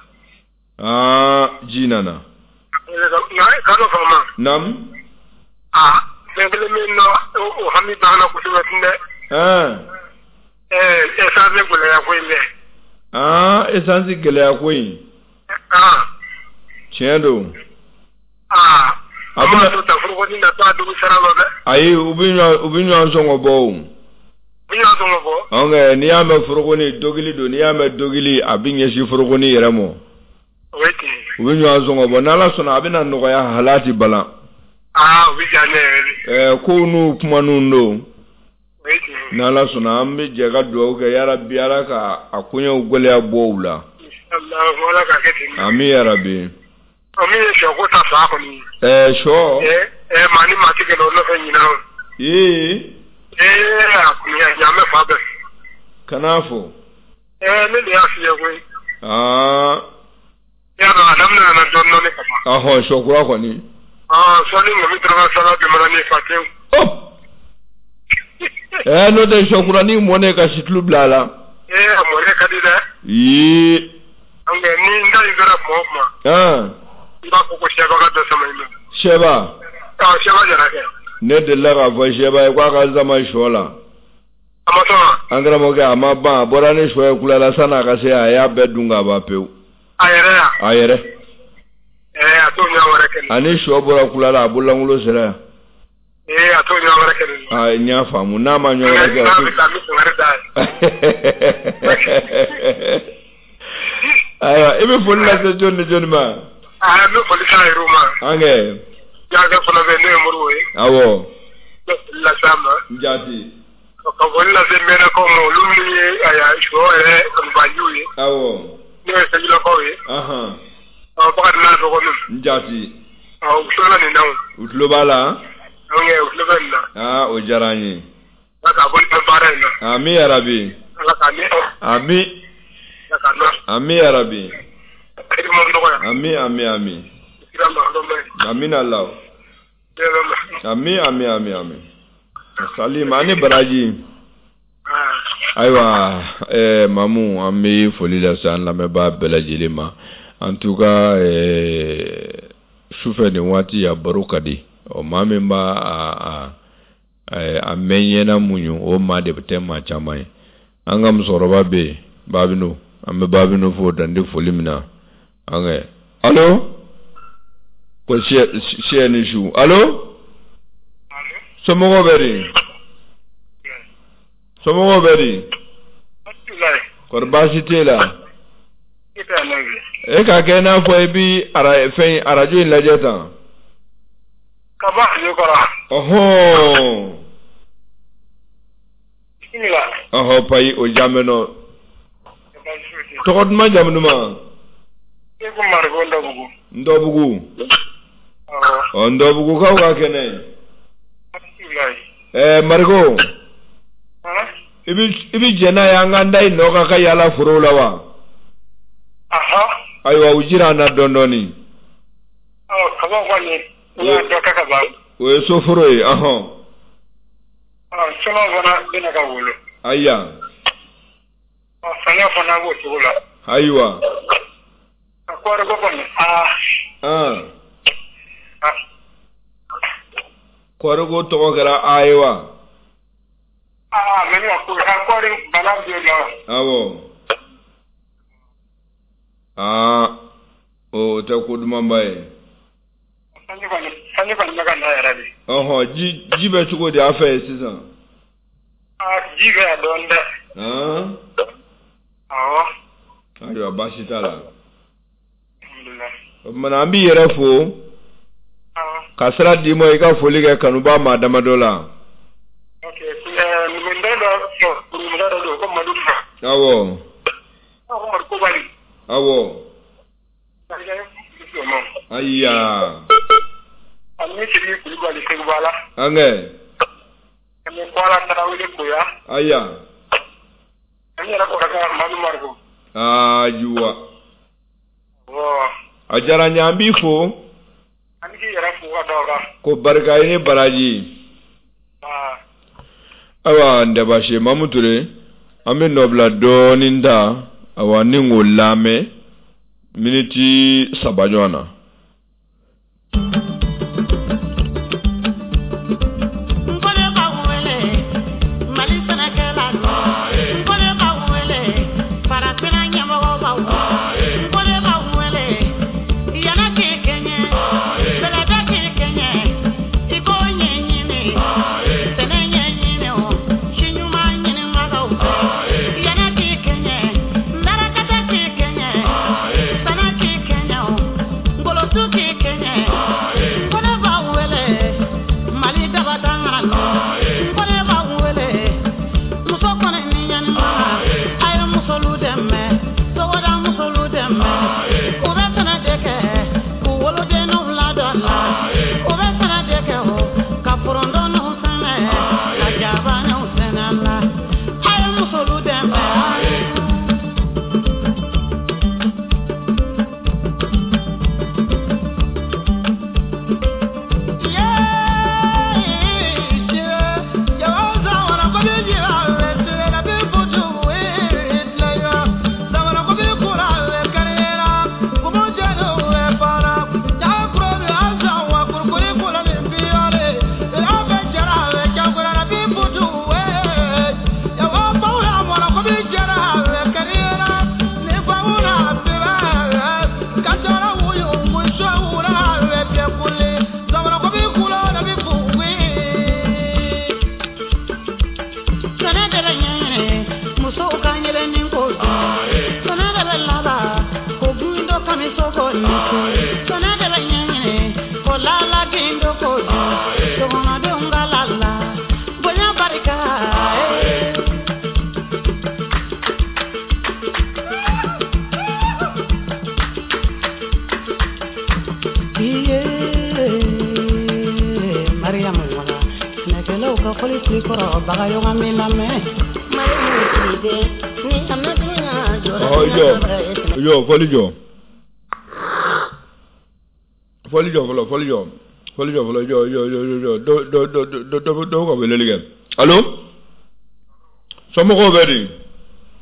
Aa, ji nana. Nka k'a dɔ faamu. Nam. Aa, fɛn kelen min nɔ o hami b'an na kosɛbɛ tun dɛ. Ɛn. Ɛɛ, essence gɛlɛya ko in dɛ. Aa, essence gɛlɛya ko in. Aa. Tiɲɛ don. Aa. A A bɛna bɛna to ta foroko na taa dugu sara la dɛ. Ayi, u bɛ ɲɔgɔn u bɛ ɲɔgɔn sɔngɔ bɔ o. U bɛ ɲɔgɔn sɔngɔ bɔ. Ɔnkɛ, n'i y'a mɛn forokoni dogili don, n'i y'a mɛn dogili, a bɛ ɲɛsin forokoni yɛrɛ ma. O ye tiɲɛ ye. U bɛ ɲɔgɔn sɔngɔ bɔ, n'Ala sɔnna a bɛna nɔgɔya halati balan. Aa, o bɛ diya ne yɛrɛ de. Ɛɛ, kow n'u kumaninw don. O ye tiɲɛ ye. N'Ala sɔnna, an bɛ jɛ ka dugawu kɛ, yarabi Ala ka a koɲɛw gɛlɛya bɔ u la. Inshallah, Ala k'a kɛ ten. Ami yarabi. Ɔ, min ye sɔ ko ta fa kɔni ye. Ɛɛ, sɔ. Ɛɛ ɛɛ, maa ni maa tɛ kɛlɛ o nɔfɛ ɲinan o. Ee. Ee, a kɔni a ɲaamɛ fa bɛɛ. Kan'a fɔ. Ɛɛ, ne de y'a f'i ye koyi. Aa. I y'a dɔn a daminɛ nana dɔɔnin dɔɔnin ka ban. Ɔhɔn, sɔ kura kɔni. Aa, sɔɔni ŋɔmi dɔrɔmɛ saba bi mana ni fa tewu. Hop. Ɛɛ, n'o tɛ sɔ kuranin mɔnen ka situlu bila a la. Ee, a mɔnen ka di dɛ. Ee. Nka ni n da in sera kuma o kuma. An. I b'a fɔ ko sɛba ka dɔ sama i ma. Sɛba. Ɔ, sɛba jara kɛ. Ne delila k'a fɔ sɛba ye k'a ka sama sɔ la. A ma sɔn wa? An karamɔgɔkɛ, a ma ban, a bɔra ni sɔ ye Kulala san'a ka se, a y'a bɛɛ dun k'a ban pewu. A yɛrɛ ya. A yɛrɛ. Ɛɛ, a t'o ɲɔgɔn wɛrɛ kɛ nin. Ani sɔ bɔra Kulala, a bololankolon sera yan. Ee, a t'o ɲɔgɔn wɛrɛ kɛ nin. Aa, n y'a faamu, n'a ma ɲɔgɔn wɛrɛ kɛ. N'a bɛ taa, n bɛ kangari d'a ye. Ayiwa, i bɛ foli lase jɔni ni jɔni ma? Aa, n bɛ foli k'a yɛrɛw ma. An kɛ. Jaakɛ fana bɛ yen, n'o ye Moribo ye. Awɔ. N bɛ foli lase a ma. N jaati. Ka foli lase mɛnakaw ma, olu minnu ye ayiwa sɔ yɛrɛ kanubajiw ye. Awɔ. N'o ye Sejulakaw ye. Ahan. Ɔ, Bakari n'a dɔgɔninw. N jaati. Ɔ, u tulo bɛ nin na o. U tulo b'a la. Donc u tulo bɛ nin na. Aa, o diyara an ye. Ala k'a bolo mɛn baara in na. Ami yarabi. Ala k'a ni Ami. Ala k'a nɔ. Ami yarabi. Hidima nɔgɔya. Ami ami ami. Kira Mahamadu ma ye. Amina Allah. Bɛɛ Ami ami ami ami. Salim ani baraji. Aa. Ayiwa, ɛɛ Mamu, an bɛ foli lase an lamɛnbaa bɛɛ lajɛlen ma. En tout cas, ɛɛ sufɛ nin waati a baro ka di. Ɔ, maa min b'a a a a mɛn ɲɛna muɲu, o maa de tɛ maa caman ye. An ka musokɔrɔba bɛ yen, Babino, an bɛ Babino fo dan tɛ foli min na. An kɛ. Allo? Ko siyɛ siyɛ ni su. Allo? Somɔgɔw bɛ di? Somɔgɔw bɛ di? Kɔri baasi t'e la? E k'a kɛ i n'a fɔ i bi ara fɛn arajo in lajɛ tan. Ka bɔ arajo kɔrɔ. Ɔhɔn. Bisimila. Ɔhɔ, payi o jaabi nɔ. Tɔgɔ duman, jamu duman? E ko Mariko Ndɔbugu. Ndɔbugu. Awɔ. Ɔ, Ndɔbugukaw ka kɛnɛ. Alhamdulilayi. Ɛɛ, Mariko. Han? I bi i bi jɛn n'a ye an k'an da i nɔ kan ka yaala forow la wa? Aha. Ayiwa, u jira an na dɔɔni dɔɔni. Ɔ, kaba kɔni, u y'a dɔ kɛ ka ban. O ye soforo ye, ɔhɔn. Ɔ, sɔlɔ fana bɛna ka wolo. Ayiwa. Ɔ, saɲɔ fana b'o cogo la. Ayiwa. A kɔɔri ko kɔni, aa. An. A. Kɔɔri ko tɔgɔ kɛra a ye wa? Aa, mɛ ne ka ko a kɔɔri bana bɛ la. Awɔ. Aa, o tɛ ko dumanba ye. Sanji kɔni, sanji kɔni bɛ ka na yɛrɛ de. Ɔhɔn, ji ji bɛ cogo di a fɛ yen sisan? Aa, ji bɛ yan dɔɔnin dɛ. Han? Awɔ. Ayiwa, baasi t'a la. Alhamdulilayi. O tuma na an b'i yɛrɛ fo. Awɔ. Ka sira d'i ma i ka foli kɛ kanuba maa damadɔ la. Ok, ɛɛ numukɛ dɔ numukɛ dɔ don ko Madu. Awɔ. Ko Madu Kobali. Awɔ. Ayiya. Ani Sidiki Kulubali Seguba la. An kɛ. Ani Kwala Tarawele Koya. Ayiya. Ani yɛrɛ kɔrɔkɛ Madu Mariko. Ayiwa. Awɔ. A diyara n ye, an b'i fo. Ani k'i yɛrɛ fo ka da o kan. Ko barika i ni baraji. Aa. Ayiwa, n tɛ baasi ye Mamu Ture, an bɛ nɔbila dɔɔnin ta, awa ni k'o lamɛn miniti saba ɲɔgɔn na. Fɔli jɔ, fɔli jɔ fɔlɔ, fɔli jɔ, fɔli jɔ fɔlɔ, jɔ jɔ jɔ jɔ, dɔ dɔ dɔ dɔ dɔ dɔ ka weleli kɛ. Allo, somɔgɔw bɛ di?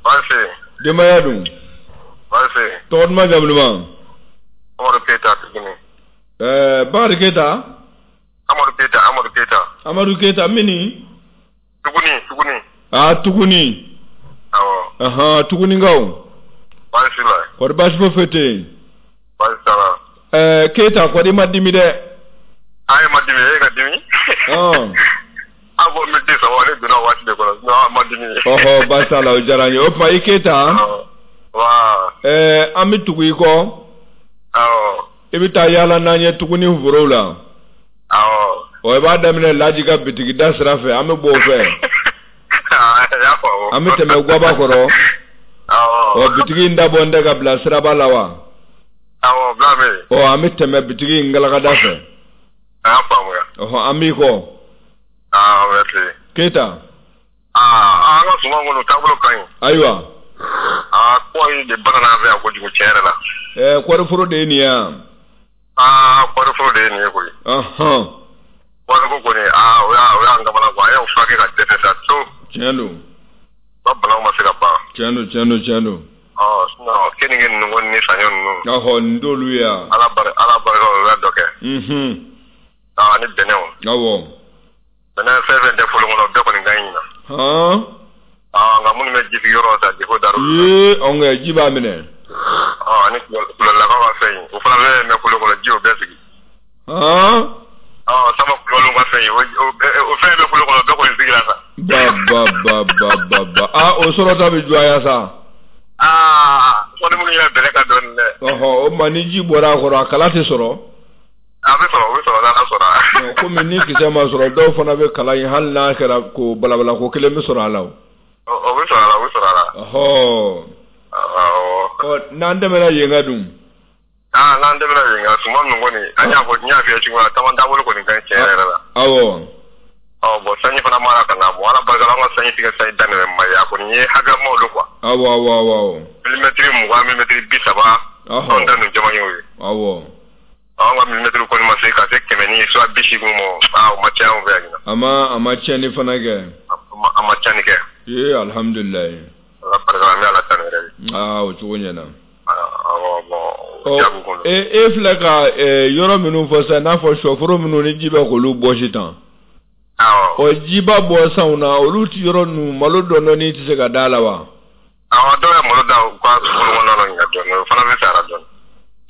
Baasi. Denbaya dun? Baasi. Tɔgɔ duman, jamu duman? Amadu Keyita tuguni. Ɛɛ Bakari Keyita? Amadu Keyita, Amadu Keyita. Amadu Keyita mini? Tuguni, Tuguni. Aa, Tuguni. Awɔ. Ahan, Tugunikaw. Baasi la. Kɔri baasi foyi tɛ yen? Baasi t'a la. Ɛɛ Keyita, kɔri ma dimi dɛ? Ayi, ma dimi, e ka dimi? Ɔn. A ko miniti saba ne donna waati de kɔnɔ, sinon a ma dimi. Ɔhɔ, baasi t'a la, o diyara n ye. O tuma i Keyita? Awɔ. Wa. Ɛɛ an bɛ tugu i kɔ. Awɔ. I bɛ taa yaala n'an ye Tuguni forow la. Awɔ. Ɔ, i b'a daminɛ Laji ka bitigi da sira fɛ, an bɛ bɔ o fɛ. Y'a faamu. An bɛ tɛmɛ Guaba kɔrɔ. Awɔ. Ɔ, bitigi in dabɔ n tɛ ka bila siraba la wa? Awɔ, bila bɛ yen. Ɔ, an bɛ tɛmɛ bitigi in galakada fɛ. A y'a faamuya. Ɔhɔn, an b'i kɔ. Aa, merci. Keyita. Aa, an ka suman kɔni taabolo ka ɲi. Ayiwa. Aa, kɔɔri de banana an fɛ yan kojugu tiɲɛ yɛrɛ la. Ɛɛ kɔɔriforo de ye nin ye yan. Aa, kɔɔriforo de ye nin ye koyi. Ɔhɔn. Kɔɔriko kɔni, aa, o y'a o y'an kamana gan, an y'o furakɛ ka dɛsɛ sa to. Tiɲɛ don. Ba banaw ma se ka ban. Tiɲɛ don, tiɲɛ don, tiɲɛ don. Ɔ, sinon keninge ninnu kɔni ni saɲɔ ninnu. Ɔhɔ, nin t'olu ye yan. Ala barika, Ala barika o y'a dɔ kɛ. Unhun. Aa, ni bɛnɛw. Awɔ. Bɛnɛ fɛn fɛn tɛ folo kɔnɔ, bɛɛ kɔni ka ɲi ɲinan. Han. Aa, nka minnu bɛ jisigi yɔrɔ ta defo dar'olu la. Ee, ɔn kɛ ji b'a minɛ. Ɔ, ani kulɔlakaw ka fɛn in, o fana bɛ mɛn folo kɔnɔ, ji y'o bɛɛ sigi. Han. Ɔ, sama kulubaliw ka fɛn ba ba ba ba ba aa o sɔrɔta bɛ juguya sa. Aa fɔ ni minnu yɛrɛ bɛlɛ ka dɔɔnin dɛ. Ɔhɔ o ma ni ji bɔra a kɔrɔ a kala tɛ sɔrɔ. A bɛ sɔrɔ o bɛ sɔrɔ n'Ala sɔnna. Komi ni kisɛ ma sɔrɔ dɔw fana bɛ kala in hali n'a kɛra ko balabala ko kelen bɛ sɔrɔ a la o. O bɛ sɔrɔ a la o bɛ sɔrɔ a la. Ɔhɔ. Awɔ. Ɔ n'an tɛmɛna yen ka dun. Aa n'an tɛmɛna yen kan suman ninnu kɔni an y'a fɔ n y'a f'i ye cogo min na caman taabolo kɔni ka ɲi tiɲɛ yɛrɛ la. Awɔ. Ɔ bon sanji fana mara ka na bon Ala barika la an ka sanji tigɛ sanji daminɛ ma ye a kɔni ye hakɛmaw don quoi. Awɔ awɔ awɔ. Milimɛtiri mugan milimɛtiri bi saba. Anw ta ninnu caman y'o ye. Awɔ. Anw ka milimɛtiri kɔni ma se ka se kɛmɛ ni soit bi seegin ma aa o ma caya anw fɛ yan ɲinan. A ma a ma tiɲɛni fana kɛ. A ma tiɲɛni kɛ. Ee alihamudulilayi. Ala barika la an bɛ Ala tanu yɛrɛ de. Aa o cogo ɲɛna. Awɔ bon o jaabi kɔni. E e filɛ ka yɔrɔ minnu fɔ sisan n'a fɔ sɔforo minnu ni ji bɛ k'olu bɔsi tan. Awɔ. Ɔ jiba bɔ sanw na olu ti yɔrɔ ninnu malo dɔɔnin tɛ se ka da la wa. Awɔ dɔw ye malo da u ka foro kɔnɔna na nka dɔɔnin o fana bɛ sa la dɔɔnin.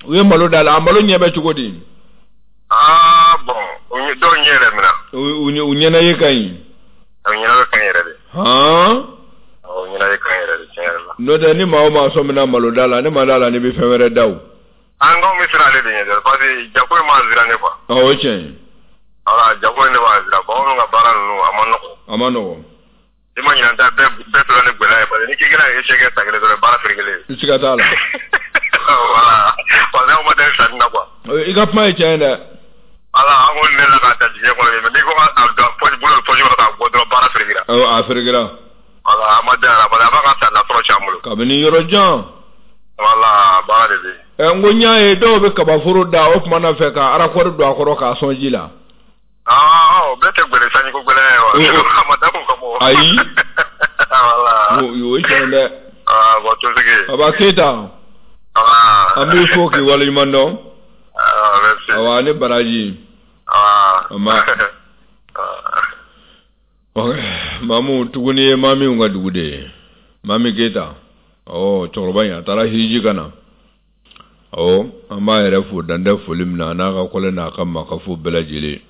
U ye malo da la a malo ɲɛ bɛ cogo di. Aa bon dɔw ɲɛ yɛrɛ minɛ. U u ɲɛna ye ka ɲi. U ɲɛna bɛ ka ɲi yɛrɛ de. Han. Awɔ u ɲɛna ye ka ɲi yɛrɛ de tiɲɛ yɛrɛ la. N'o tɛ ni maa o maa sɔmina malo da la ne ma da la ni bɛ fɛn wɛrɛ da o. An k'anw bɛ siran ale de ɲɛ dɛ parce que jago in b'an siran ne quoi. Awɔ o tiɲɛ ye. Voilà jago in de b'an siran bon anw ka baara ninnu a ma nɔgɔn. A ma nɔgɔn. I ma ɲinɛ ta bɛɛ bɛɛ tora ni gɛlɛya ye parce que ni k'i kɛra échec kɛ san kelen dɔrɔn baara ferekelen. Siga t'a la. Voilà parce que anw ma deli sanni na quoi. I ka kuma ye tiɲɛ ye dɛ. Voilà an kɔni ne la k'a ta jigiɲɛ kɔnɔ mais n'i ko k'a don poche bolo poche kɔnɔ k'a bɔ dɔrɔn baara ferekela. Awɔ a ferekela. Voilà a ma deli a la parce que a b'a ka san nasɔrɔ c'an bolo. Kabini yɔrɔ jan. Voilà baara de bɛ yen. Ɛ n ko n y'a ye dɔw bɛ kabaforo da o tuma na fɛ ka arakɔri don a kɔrɔ k'a sɔn ji la. Ah, o bɛɛ tɛ gbɛlɛ sanjiko gbɛlɛ ye wa. A ma dabɔ o kama. Ayi. Voilà. O ye tiɲɛ dɛ. Ah bon Tosigi. Baba Keyita. Ah. An b'i fo k'i waleɲuman dɔn. Ah merci. Awa ni baraji. Ah. Ama. Mamu tuguni ye Mamiw ka dugu de ye. Mami Keyita. Ɔ cɛkɔrɔba in a taara hiji ka na. Awɔ an b'a yɛrɛ fo dan tɛ foli min na a n'a ka kɔlɛ n'a ka makafo bɛɛ lajɛlen.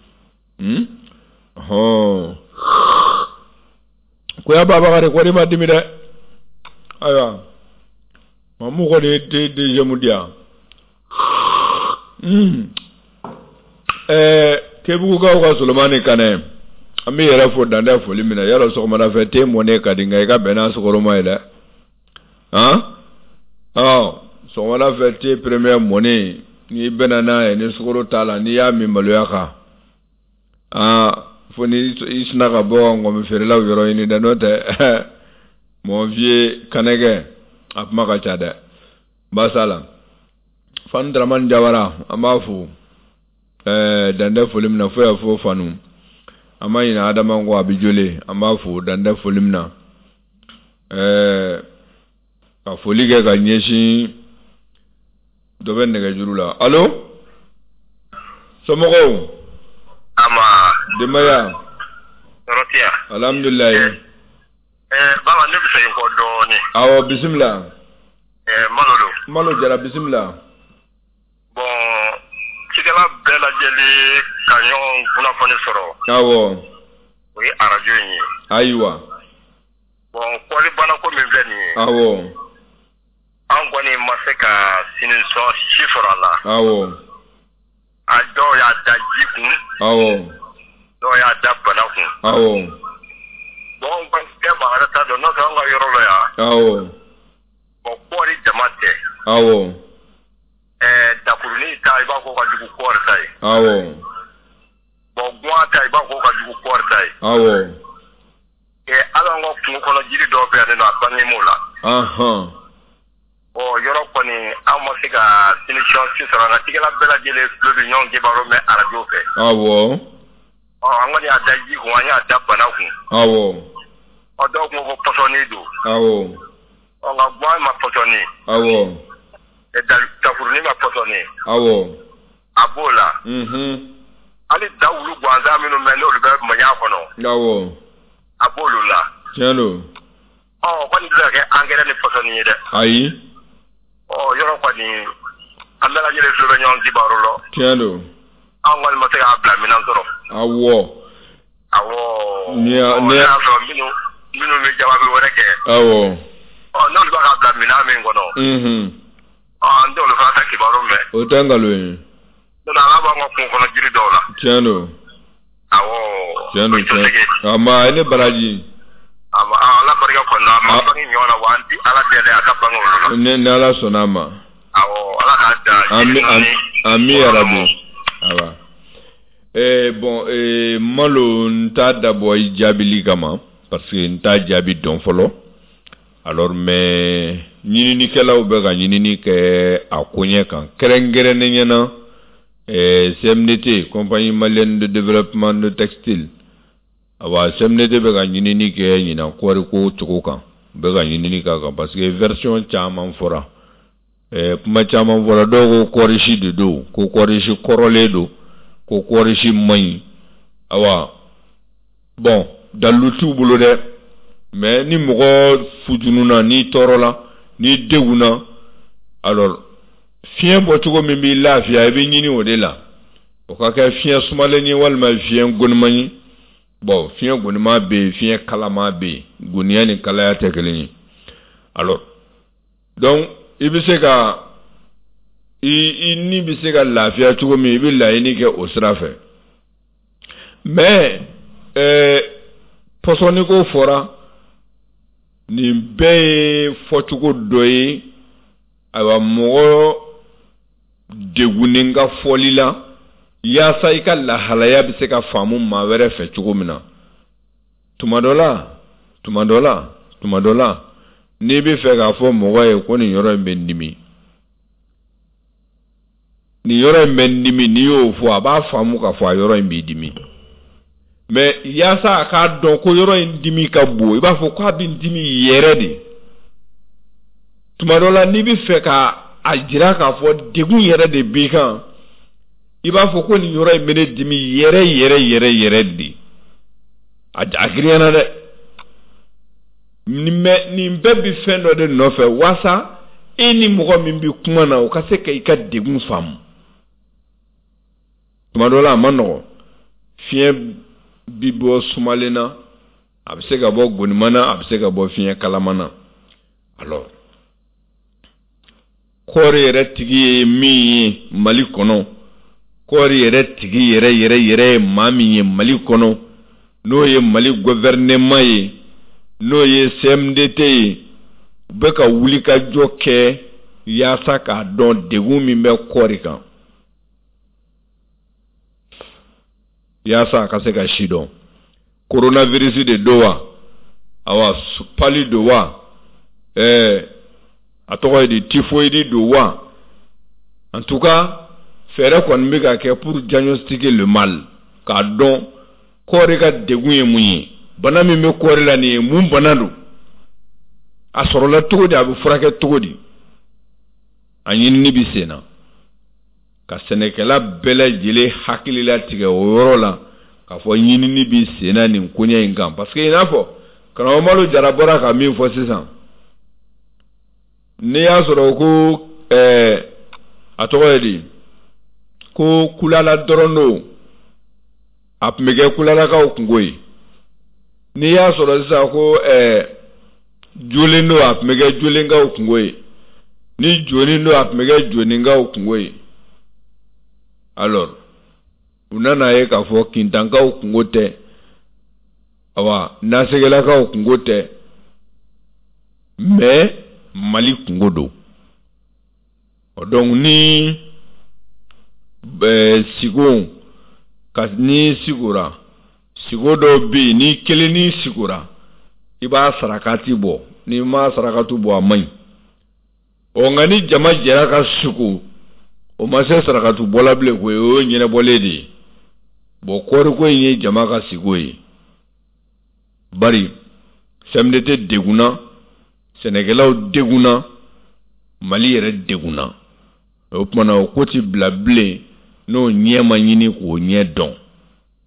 Hmm? Hɔn. Koya Babakari kɔni ma dimi dɛ. Ayiwa. Mamu kɔni ye deuxième di yan. Hmm. Ɛɛ Kebugukaw ka Solomani Kanɛ. An b'i yɛrɛ fo dan tɛ foli min na. Yarɔ sɔgɔmada fɛ te mɔnen ka di nka i ka bɛn n'a sukɔrɔma ye dɛ. Han? Ɔ sɔgɔmada fɛ te premier mɔnen n'i bɛnna n'a ye ni sukaro t'a la n'i y'a min maloya kan. Aa fo ni i sina ka bɔ ngɔmi feerelaw yɔrɔ ɲini dɛ n'o tɛ mon vieux Kanɛgɛ a kuma ka ca dɛ baasa la Fanu Dramani Jawara an b'a fo ɛɛ dan tɛ foli min na fo y'a fo Fanu an ma ɲinɛ Adama kɔ a bɛ jole an b'a fo dan tɛ foli min na ɛɛ ka foli kɛ ka ɲɛsin dɔ bɛ nɛgɛjuru la allo somɔgɔw. Ama. Denbaya. Tɔɔrɔ tɛ yan. Alhamdulilayi. Ɛɛ Baba ne bɛ segin kɔ dɔɔnin. Awɔ bisimila. Ɛɛ Malo don. Malo Jara bisimila. Bon cikɛla bɛɛ lajɛlen ka ɲɔgɔn kunnafoni sɔrɔ. Awɔ. O ye arajo in ye. Ayiwa. Bon kɔɔri banako min filɛ nin ye. Awɔ. An kɔni ma se ka sinisɔn si sɔrɔ a la. Awɔ. A dɔw y'a da ji kun. Awɔ. Dɔw y'a da bana kun. Awɔ. Bon bɛɛ maa wɛrɛ t'a dɔn n'o tɛ anw ka yɔrɔ la yan. Awɔ. Bon kɔɔri jama tɛ. Awɔ. Ɛɛ dakurunin ta i b'a fɔ ka jugu kɔɔri ta ye. Awɔ. Bon guwan ta i b'a fɔ ka jugu kɔɔri ta ye. Awɔ. Ɛɛ hali an ka kungo kɔnɔ jiri dɔw bɛ yan nɔ a bannen m'o la. Ɔnhɔn. Bon yɔrɔ kɔni an ma se ka solution si sɔrɔ nka cikɛla bɛɛ lajɛlen tulo bɛ ɲɔgɔn kibaru mɛn arajo fɛ. Awɔ. Ɔ an kɔni y'a da ji kun an y'a da bana kun. Awɔ. Ɔ dɔw ko ko pɔsɔni don. Awɔ. Ɔ nka guwan ma pɔsɔni. Awɔ. Ɛ dakurunin ma pɔsɔni. Awɔ. A b'o la. Unhun. Hali dawulu gansan minnu bɛ n'olu bɛ maɲa kɔnɔ. Awɔ. A b'olu la. Tiɲɛ don. Ɔ o kɔni tɛ se ka kɛ angɛrɛ ni pɔsɔni ye dɛ. Ayi. Ɔ yɔrɔ kɔni an bɛɛ lajɛlen tulo bɛ ɲɔgɔn kibaru la. Tiɲɛ don. An kɔni ma se k'a bila minɛn sɔrɔ. Awɔ. Awɔ. Ni y'a ni y'a sɔrɔ minnu Minnu bɛ jababi wɛrɛ kɛ. Awɔ. Ɔ n'olu b'a ka bila minɛn min kɔnɔ. Unhun. Ɔ an t'olu fana ta kibaru mɛn. O tɛ nkalon ye. N'o tɛ ala b'an ka kungo kɔnɔ jiri dɔw la. Tiɲɛ don. Awɔ. Tiɲɛ don tiɲɛ. A ma i ni baraji. Ala barika kɔnɔ a ma bange ɲɔgɔn na wa an ti ala deli a ka bange olu la. Ni ni ala sɔnna a ma. Awɔ ala k'a da. Ami ami yarabi. Awa. Eh bon eh Malo n t'a dabɔ i jaabili kama parce que n t'a jaabi dɔn fɔlɔ. Alors mais ɲininikɛlaw bɛ ka ɲinini kɛ a koɲɛ kan kɛrɛnkɛrɛnnenya na eh, C M D T, Compagnie Malienne de Développement de Textile. Awa C M D T bɛ ka ɲinini kɛ ɲinan kɔɔriko cogo kan, u bɛ ka ɲinini k'a kan parce que version caman fɔra. Eh, kuma caman fɔra, dɔw ko kɔɔrisi de don, ko kɔɔrisi kɔrɔlen don, ko kɔɔrisi man ɲi. Awa bon dalilu t'u bolo dɛ, mais ni mɔgɔ fujununa, n'i tɔɔrɔla, n'i degunna, alors fiɲɛ bɔcogo min b'i lafiya i bɛ ɲini o de la, o ka kɛ fiɲɛ sumalen ye walima fiɲɛ goniman ye. Bon fiɲɛ goniman bɛ yen, fiɲɛ kalaman bɛ yen, goniya ni kalaya tɛ kelen ye. Alors donc i bɛ se ka i i ni bɛ se ka lafiya cogo min, i bɛ laɲini kɛ o sira fɛ. Mais ɛɛ pɔsɔniko fɔra, nin bɛɛ ye fɔcogo dɔ ye. Ayiwa mɔgɔ degunnen ka fɔli la yaasa i ka lahalaya bɛ se ka faamu maa wɛrɛ fɛ cogo min na. Tuma dɔ la tuma dɔ la tuma dɔ la n'i bɛ fɛ k'a fɔ mɔgɔ ye ko nin yɔrɔ in bɛ n dimi, nin yɔrɔ in bɛ n dimi, n'i y'o fɔ a b'a faamu k'a fɔ a yɔrɔ in b'i dimi. Mais yaasa a k'a dɔn ko yɔrɔ in dimi ka bon, i b'a fɔ k'a bɛ n dimi yɛrɛ de. Tuma dɔ la n'i bɛ fɛ ka a jira k'a fɔ degun yɛrɛ de b'i kan, i b'a fɔ ko nin yɔrɔ in bɛ ne dimi yɛrɛ yɛrɛ yɛrɛ yɛrɛ de. A a girinyana dɛ. Nin nin bɛɛ bɛ fɛn dɔ de nɔfɛ waasa e ni mɔgɔ min bɛ kuma na o ka se ka i ka degun faamu. Tuma dɔ la a ma nɔgɔn, fiɲɛ bi bɔ sumalen na, a bɛ se ka bɔ goniman na, a bɛ se ka bɔ fiɲɛ kalaman na. Alors kɔɔri yɛrɛ tigi ye min ye Mali kɔnɔ, kɔɔri yɛrɛ tigi yɛrɛ yɛrɛ yɛrɛ ye maa min ye Mali kɔnɔ, n'o ye Mali gouvernement ye, n'o ye C M D T ye, u bɛ ka wulikajɔ kɛ yaasa k'a dɔn degun min bɛ kɔɔri kan, yaasa a ka se ka si dɔn. Coronavirus de don wa, awa pali don wa, ɛɛ a tɔgɔ ye di, typhoïde don wa. En tout cas fɛɛrɛ kɔni bɛ ka kɛ pour diagnostiquer le mal, k'a dɔn kɔɔri ka degun ye mun ye, bana min bɛ kɔɔri la nin ye mun bana don, a sɔrɔla cogo di, a bɛ furakɛ cogo di. A ɲinini bɛ sen na ka sɛnɛkɛla bɛɛ lajɛlen hakili latigɛ o yɔrɔ la k'a fɔ ɲinini bɛ sen na nin koɲɛ in kan. Parce que i n'a fɔ karamɔgɔ Malo Jara bɔra ka min fɔ sisan, n'i y'a sɔrɔ ko ɛɛ a tɔgɔ ye di, ko kulala dɔrɔn don, a tun bɛ kɛ kulalakaw kungo ye. N'i y'a sɔrɔ sisan ko ɛɛ jolen don, a tun bɛ kɛ jolenkaw kungo ye. Ni joni don, a tun bɛ kɛ joninkaw kungo ye. Alors u nana ye k'a fɔ kintankaw kungo tɛ, awa nasɛgɛlakaw kungo tɛ, mais Mali kungo don. Donc ni ɛɛ sigo ka ni sigora, sigo dɔw bɛ yen ni kelen ni sigora, i b'a sarakati bɔ, n'i ma sarakati bɔ a man ɲi. Ɔ nka ni jama jɛra ka sigo, o ma se sarakati bɔla bilen koyi, o ye ɲɛnabɔlen de ye. Bon kɔɔriko in ye jama ka sigo ye, bari C M D T degunna, sɛnɛkɛlaw degunna, Mali yɛrɛ degunna. O tuma na o ko ti bila bilen n'o ɲɛ ma ɲini k'o ɲɛ dɔn.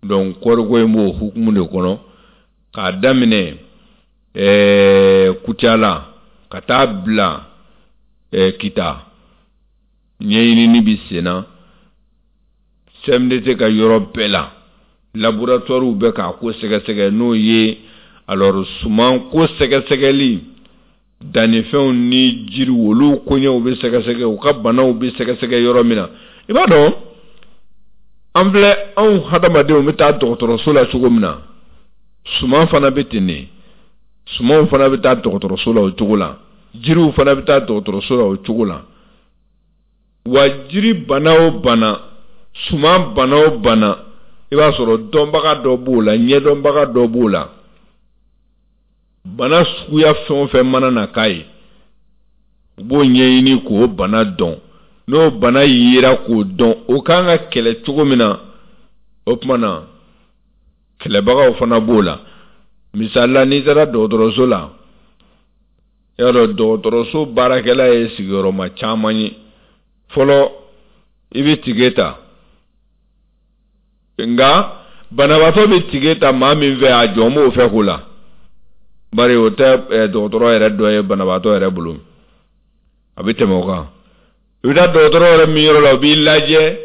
Donc kɔɔriko in b'o hukumu de kɔnɔ k'a daminɛ ɛɛ Kucala ka taa bila ɛɛ Kita, ɲɛɲinini bi sen na C M D T ka yɔrɔ bɛɛ la. Laboratoire bɛ k'a ko sɛgɛsɛgɛ, n'o ye Alors suman ko sɛgɛsɛgɛli, dannifɛnw ni jiriw, olu koɲɛw bɛ sɛgɛsɛgɛ, u ka banaw bɛ sɛgɛsɛgɛ yɔrɔ min na. I b'a dɔn, an filɛ, anw hadamadenw bɛ taa dɔgɔtɔrɔso la cogo min na, suman fana bɛ ten de. Sumanw fana bɛ taa dɔgɔtɔrɔso la o cogo la, jiriw fana bɛ taa dɔgɔtɔrɔso la o cogo la. Wa jiri bana o bana, suman bana o bana, i b'a sɔrɔ dɔnbaga dɔ b'o la, ɲɛdɔnbaga dɔ b'o la. Bana suguya fɛn o fɛn mana na k'a ye, u b'o ɲɛɲini k'o bana dɔn. N'o bana yera k'o dɔn, o kan ka kɛlɛ cogo min na, o tuma na kɛlɛbagaw fana b'o la. Misali la, n'i taara dɔgɔtɔrɔso la, i y'a dɔn dɔgɔtɔrɔso baarakɛla ye sigiyɔrɔma caman ye. Fɔlɔ, i bɛ tige ta, nka banabaatɔ bɛ tige ta maa min fɛ, a jɔn b'o fɛ ko la, bari o tɛ dɔgɔtɔrɔ yɛrɛ dɔ ye banabaatɔ yɛrɛ bolo, a bɛ tɛmɛ o kan. I bɛ taa dɔgɔtɔrɔ yɛrɛ min yɔrɔ la, o b'i lajɛ,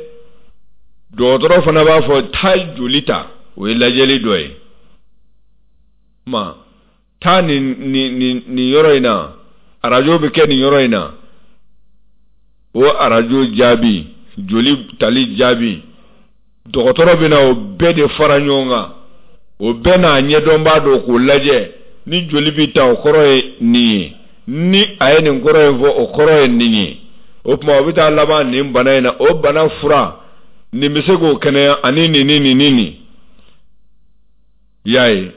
dɔgɔtɔrɔ fana b'a fɔ taa joli ta, o ye lajɛli dɔ ye. Ma taa nin nin nin nin yɔrɔ in na, arajo bɛ kɛ nin yɔrɔ in na, o arajo jaabi, joli tali jaabi, dɔgɔtɔrɔ bɛ na o bɛɛ de fara ɲɔgɔn kan, o bɛɛ n'a ɲɛdɔnbaa don k'o lajɛ. Ni joli bɛ ta, o kɔrɔ ye nin ye, ni a ye nin kɔrɔ in fɔ, o kɔrɔ ye nin ye. O tuma o bɛ taa laban nin bana in na, o bana fura nin bɛ se k'o kɛnɛya, ani nin ni nin ni nin. I y'a ye,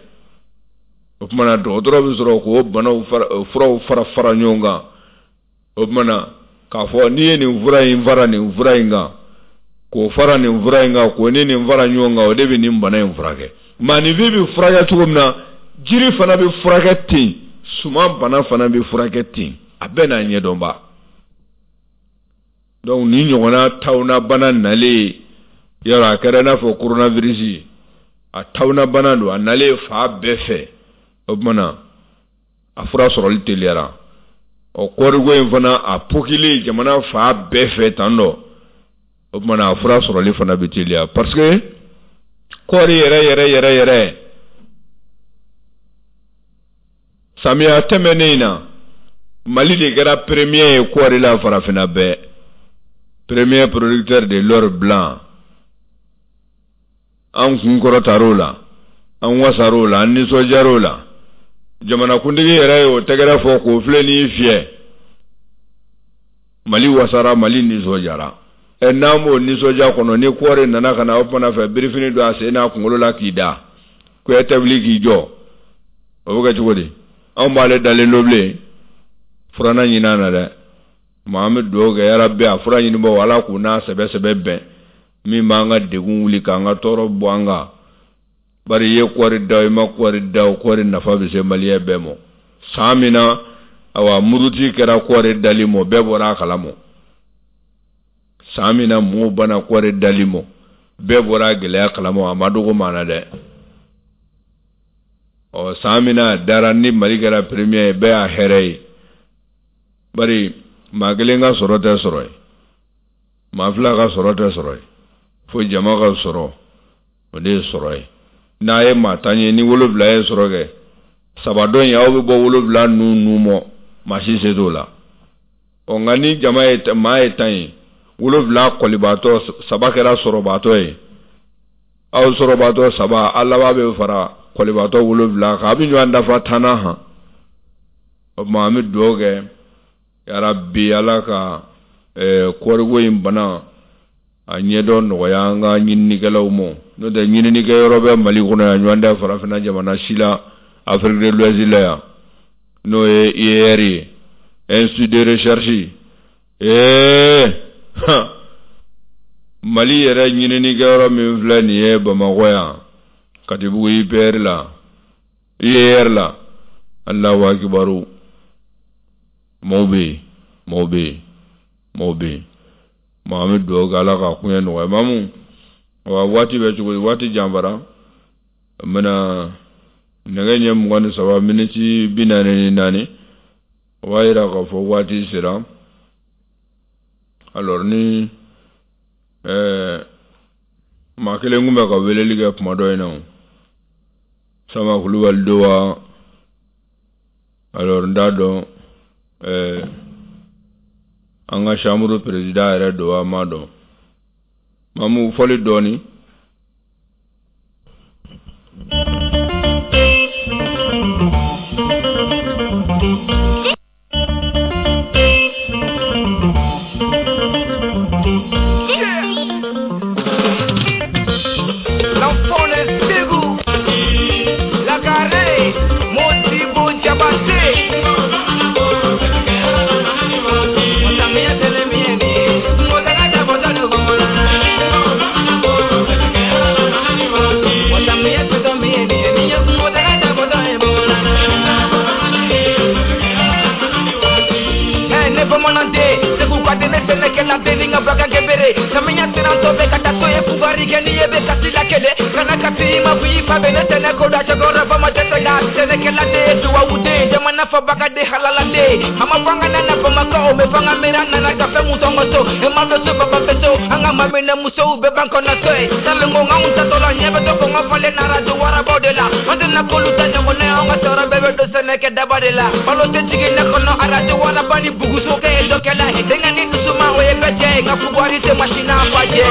o tuma na dɔgɔtɔrɔ bɛ sɔrɔ k'o banaw fara, furaw fara fara ɲɔgɔn kan. O tuma na k'a fɔ n'i ye nin fura in fara nin fura in kan, k'o fara nin fura in kan, k'o ni nin fara ɲɔgɔn kan, o de bɛ nin bana in furakɛ. Maaninfin bɛ furakɛ cogo min na, jiri fana bɛ furakɛ ten, suman bana fana bɛ furakɛ ten, a bɛɛ n'a ɲɛdɔnba. Donc ni ɲɔgɔnna tawuna bana nalen, yɔrɔ a kɛra i n'a fɔ coronavirus, a tawuna bana don, a nalen fa bɛɛ fɛ. O tuma na a fura sɔrɔli teliyara. Ɔ kɔɔriko in fana a pokilen jamana fa bɛɛ fɛ tan dɔ, o tuma na a fura sɔrɔli fana bɛ teliya, parce que kɔɔri yɛrɛ yɛrɛ yɛrɛ yɛrɛ samiya tɛmɛnen in na, Mali de kɛra premier ye kɔɔri la farafinna bɛɛ, premier producteur de l'or blanc. An kun kɔrɔtar'o la, an wasar'o la, an nisɔndiyar'o la. Jamanakuntigi yɛrɛ ye o tɛgɛrɛ fɔ k'o filɛ n'i fiyɛ. Mali wasara, Mali nisɔndiyara. Ɛ n'an b'o nisɔndiya kɔnɔ, ni kɔɔri nana ka na o fana fɛ birifini don a sen n'a kunkolo la k'i da, ko e tɛ wuli k'i jɔ, o bɛ kɛ cogo di? Anw b'ale dalen don bilen, furanna ɲini an na dɛ. Ma an bɛ dugawu kɛ yarabi a fura ɲinibaaw, Ala k'u n'a sɛbɛ sɛbɛ bɛn, min b'an ka degun wuli k'an ka tɔɔrɔ bɔ an kan. Bari i ye kɔɔri da, i ma kɔɔri da, o kɔɔri nafa bɛ se maliyɛn bɛɛ ma. San min na, awa muruti kɛra kɔɔri dali ma, bɛɛ bɔra a kalama. San min na mɔgɔw banna kɔɔri dali ma, bɛɛ bɔra a gɛlɛya kalama, a ma dogo maa na dɛ. Ɔ san min na a dara ni Mali kɛra premier ye, bɛɛ y'a hɛrɛ ye. Bari maa kelen ka sɔrɔ tɛ sɔrɔ ye, maa fila ka sɔrɔ tɛ sɔrɔ ye, fo jama ka sɔrɔ, o de ye sɔrɔ ye. N'a ye maa tan ye, ni wolonwula ye sɔrɔ kɛ, saba dɔ in aw bɛ bɔ wolonwula nun nun mɔ, maa si se t'o la. Ɔ nka ni jama ye maa ye tan ye, wolonwula kɔlibaatɔ, saba kɛra sɔrɔbaatɔ ye, aw sɔrɔbaatɔ saba, a laban bɛ fara kɔlibaatɔ wolonwula kan, a bɛ ɲɔgɔn dafa tan na han. O tuma an bɛ dugawu kɛ yarabi Ala ka kɔɔriko in bana a ɲɛdɔn nɔgɔya an ka ɲininikɛlaw ma. N'o tɛ ɲininikɛyɔrɔ bɛ Mali kɔnɔ yan, ɲɔgɔn tɛ farafinna jamana si la, Afrique de l'Ouest la yan, n'o ye I E R ye, Institut de recherche. Ee Mali yɛrɛ ɲininikɛyɔrɔ min filɛ nin ye Bamakɔ yan, Katibugu I P R la, I E R la, Alahu akibaru, maaw bɛ yen, maaw bɛ yen, maaw bɛ yen. Ma an bɛ dugawu kɛ Ala ka koɲɛ nɔgɔya. Mamu, wa waati bɛ cogo di? Waati janfara. N bɛna nɛgɛ ɲɛ mugan ni saba miniti bi naani ni naani, o b'a yira k'a fɔ waati sera. Alors ni ɛɛ maa kelen kun bɛ ka weleli kɛ kuma dɔ in na, o Sama Kulubali don wa? Alors n t'a dɔn ɛɛ an ka chambre président yɛrɛ don wa, n m'a dɔn. Mamu, fɔli dɔɔni. L'enfant de Ségou, la carré, Modibo Diabaté. Samiya siranto bɛ ka taa so ye fugari kɛ n'i ye bɛ kasi la kelen kana kasi ma f'i fa bɛ ne tɛnɛ ko da cɛkɔrɔba ma dɛsɛ ka sɛnɛkɛla de ye duwawu den jamana fabaga de halala den a ma fanga nana Bamakɔ o bɛ fanga miiri nana ka fɛn mun sɔngɔ so e ma bɛ so baba bɛ so an ka maminɛ musow bɛ ban kɔnɔ so ye salenko anw tatɔ la ɲɛ bɛ to kɔngɔ falen na arajo warabaw de la an tɛna k'olu ta ɲɔgɔn na an ka sɔrɔ bɛɛ bɛ don sɛnɛkɛ daba de la balo tɛ jigin ne kɔnɔ arajo waraba ni buguso kɛ ye dɔ kɛla ye denkɛ ni dusuma o ye bɛɛ jɛ ye nka fugari tɛ masina fa jɛ.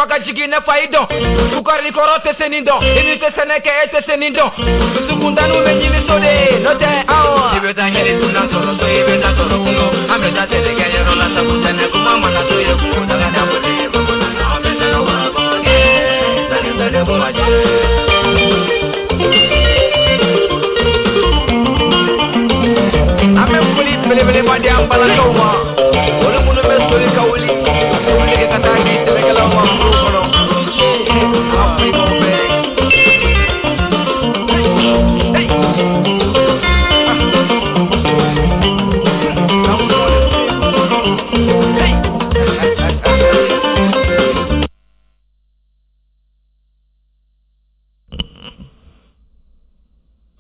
Ka jigin ne fa i dɔn fukari kɔrɔ tɛ se nin dɔn i ni tɛ sɛnɛ kɛ e tɛ se nin dɔn dusukuntanw bɛ ɲini so de n'o tɛ awɔ i bɛ taa ɲini sunan sɔrɔ so i bɛ taa sɔrɔ kungo an bɛ taa sɛnɛ kɛ yɔrɔ la sabu sɛnɛ kuma mana to ye kungo daga da bolo ye bamanan an bɛ sɛnɛ wa bɔ kɛ sani sɛnɛ bɔ ma jɛ. An bɛ foli belebeleba di an balakaw ma olu minnu bɛ soli ka wuli ka wuli kɛ ka taa di sɛnɛkɛlaw ma foro kɔnɔ. An foli b'aw bɛɛ ye.